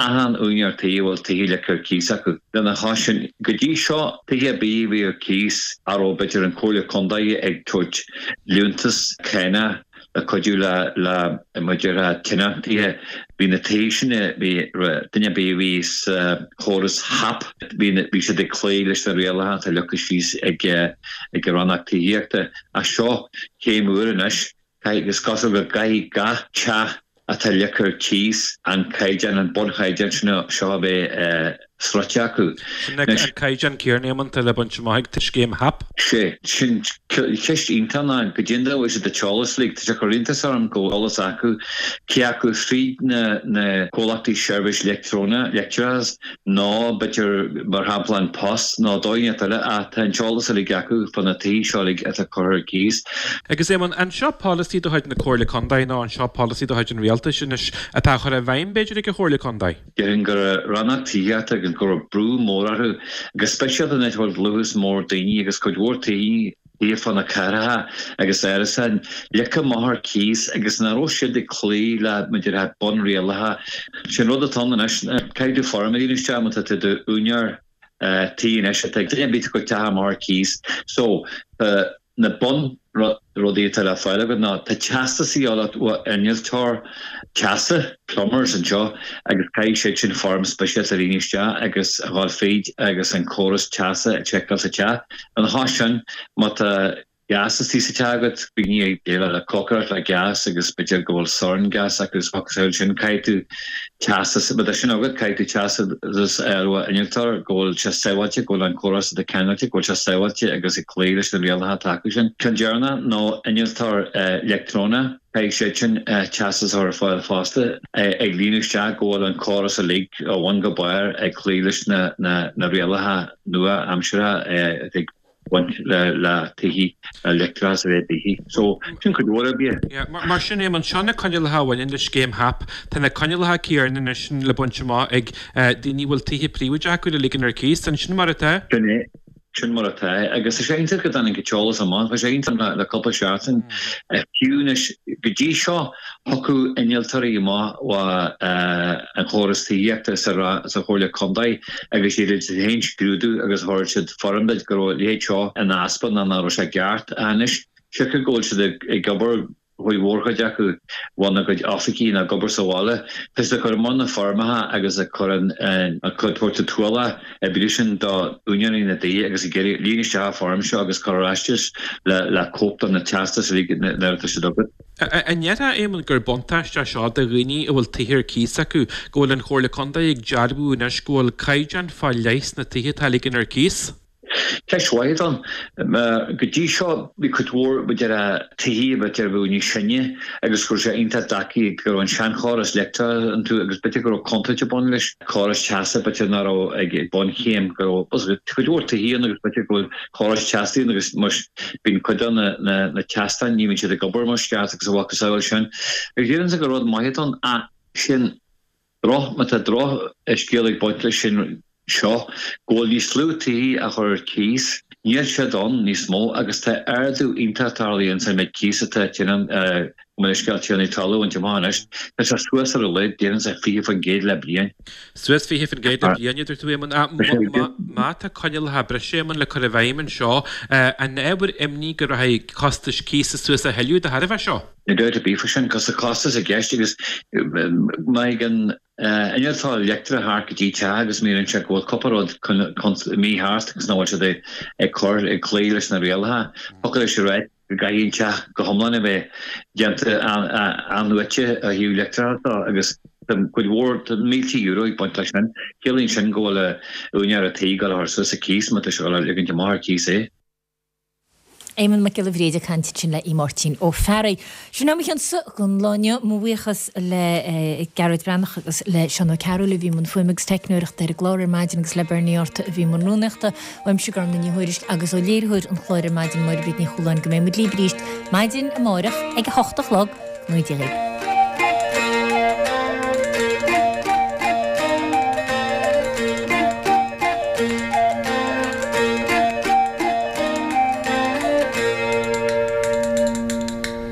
achan úinéir tí a bhfuil tithe ligthe ar cíos acu. Lena chois sin, go dtí seo, tithe ar bith a bhí ar cíos a raibh b'fhéidir an Chomhairle Contae ag tabhairt liúntas cánach le cuidiú le le maidir le tionóntaithe. Bhí na tithe sin, bhí duine ar bith a bhí sa chóras HAP, bhí bhí siad ag cloí leis na rialacha atá leagtha síos ag ag an Rannóg Tithíochta. Ach seo céim úr anois, caithfidh, is cosúil go gcaithfidh gach teach atá ligthe ar cíos an caighdeán, an bunchaighdeán seo a bheith sroichte acu. Sin an caighdeán céanna, Éamonn, atá le baint amach ag scéim HAP. Sé sin ceist iontach ná goidé an dóigh a bhfuil siad an t-eolas like, tá sé ag cur iontas orm go bhfuil eolas acu, cé acu fríd na na comhlachtaí seirbhís leictreonach, leictreachas, nó b'fhéidir mar shampla An Post nó dóigh inteacht eile ach tá an t-eolas uilig acu fá na tithe seo uilig atá curtha ar cíos. Agus Éamonn, an seo polasaí de chuid na Comhairle Contae nó an seo polasaí de chuid an Rialtais anois atá á chur i bhfeidhm b'fhéidir ag an Chomhairle Contae? Déarfainn go raibh Rannóg Tithíochta agus go raibh brú mór orthu, go speisialta an áit a bhfuil dlúthas mór daoine agus cuid mhór tithe taobh fá na cathracha agus árasáin ligthe amach ar cíos agus nach raibh siad ag cloí le maidir le bunrialacha. Sin rud atá ann anois. Caithfidh tú foirm a líonadh isteach má tá tú i d'úinéir tí anois atá ag duine ar bith ag cur teach amach ar cíos. So, tá na bun rudaí atá le fáil agat ná tá teastas a dhíobháil ó innealtóir teasa, plumbers anseo, agus caithfidh siad sin foirm speisialta a líonadh isteach agus a dhul fríd agus an córas teasa a tseiceáil sa teach. Lena chois sin, má tá gás istigh sa teach agat, daoine ag déileáil le cócaireacht le gás agus b'fhéidir go bhfuil sorn gas acu is focail sin, caithfidh tú teastas, má tá sin agat, caithfidh tú teastas a fháil ó innealtóir go bhfuil sé sábháilte, go bhfuil an córas atá ceangailte, go bhfuil sé sábháilte agus ag cloí leis na rialacha atá acu sin. Ceann deireanach nó innealtóir leictreonach, caithfidh siad sin teastas a chur ar fáil fosta, ag líonadh isteach go bhfuil an córas uilig ó bhun go barr ag cloí leis na rialacha nua-aimseartha ag baint le tithe, le leictreachas a bheith i dtithe. So, sin cuid mhór oibre. Yeah, mar sin, Éamonn, seo na coinníollacha a bhaineann le scéim HAP. Tá na coinníollacha céanna anois le baint amach ag daoine a bhfuil tithe príobháideacha acu le ligean ar cíos. An sin mar atá? Sin é. Sin mar atá. Agus tá sé iontach go dtáinig an t-eolas amach. Tá sé iontach le cúpla seachtain. Fiú anois, go dtí seo, thiocfadh innealtóirí amach ó an chóras tithíochta sa Chomhairle Contae agus dhéanadh siad féin scrúdú agus thabharfadh siad foirm duit go raibh a leithéid seo ina easpa nó nach raibh sé ceart. Anois, siocair go bhfuil siad ag obair, cuid mhór acu óna gcuid oifigí nó ag obair sa bhaile, tá siad ag cur amach na foirmeacha agus ag cur an tabhairt an t-ualach oibre sin do úinéirí na dtithe agus ag iarraidh líon isteach an foirm seo agus cuir ar ais duit le cóip de na teastais uilig nuair atá siad agat. An ndéarfá, Éamonn, gur buntáiste é seo do dhaoine a bhfuil tithe ar cíos acu, go bhfuil an Chomhairle Contae ag dearbhú anois go bhfuil caighdeán fá leith sna tithe atá á ligean ar cíos? Ceist mhaith atá ann. Go dtí seo bhí cuid mhór b'fhéidir tithe b'fhéidir a bheadh níos sine agus go raibh sé iontach deacair go raibh an seanchóras leictreachais iontu agus b'fhéidir go raibh contúirt ag baint leis, córas teasa b'fhéidir nach raibh ag bunchéim go raibh cuid mhór tithe ann agus b'fhéidir go bhfuil córas teasa ann agus bíonn cuid de na teastáin ní bhíonn siad ag obair mar is ceart agus a mhacasamhail sin. Agus déarfainnse gur rud maith atá ann ach sin droch, má tá drochscéal ag baint leis sin seo, go bhfuil níos lú tithe á chur ar cíos, níl siad ann níos mó agus tá ardú iontach tarlaithe ins an méid cíos atá tiarnaí, gabh mo leithscéal, tiarnaí talún a bhaint amach anois. Tá sé suas ar a laghad, déarfainnse fiche faoin gcéad le bliain. Suas fiche faoin gcéad le bliain, a dúirt tú, Éamonn. Má tá coinníollacha breise, Éamonn, le cur i bhfeidhm anseo, an ábhar imní go rachaidh costais cíosa suas a thuilleadh de thairbhe seo? Níl dabht ar bith faoi sin, cos tá costas i gceist agus má thagann innealtóir leictreach thart go dtí teach agus míníonn sé go bhfuil cúpla rud mícheart agus nach bhfuil siad ag cur ag cloí leis na rialacha. Thiocfadh leis a rá go gcaithfidh an teach go hiomlán a bheith déanta athnuaite ó thaobh leictreachais de agus tá cuid mhór, tá mílte euro ag baint leis sin. Ciallaíonn sin go bhfuil úinéir an tí ag dul a chur suas a cíos má tá sé ag dul a ligint amach ar cíos é. Éamonn Mac Giolla Bhríde ag caint ansin le Máirtín Ó Fearraigh. Sin é mo chionsa don lá inniu. Mo bhuíochas le Gearóid Breathnach agus le Seán Ó Cearúil a bhí i mbun fuaime agus teicneoireachta ar an gclár ar maidin agus le Bernie Arthur a bhí i mbun rúnaíochta. Uaimse Gormlaith Ní Thuairisg agus ó léiritheoir an chláir ar maidin Máire Bríd Ní Chualáin go mbeidh muid libh arís maidin amárach ag a hocht a chlog. Go ngnóthaí Dia dhaoibh.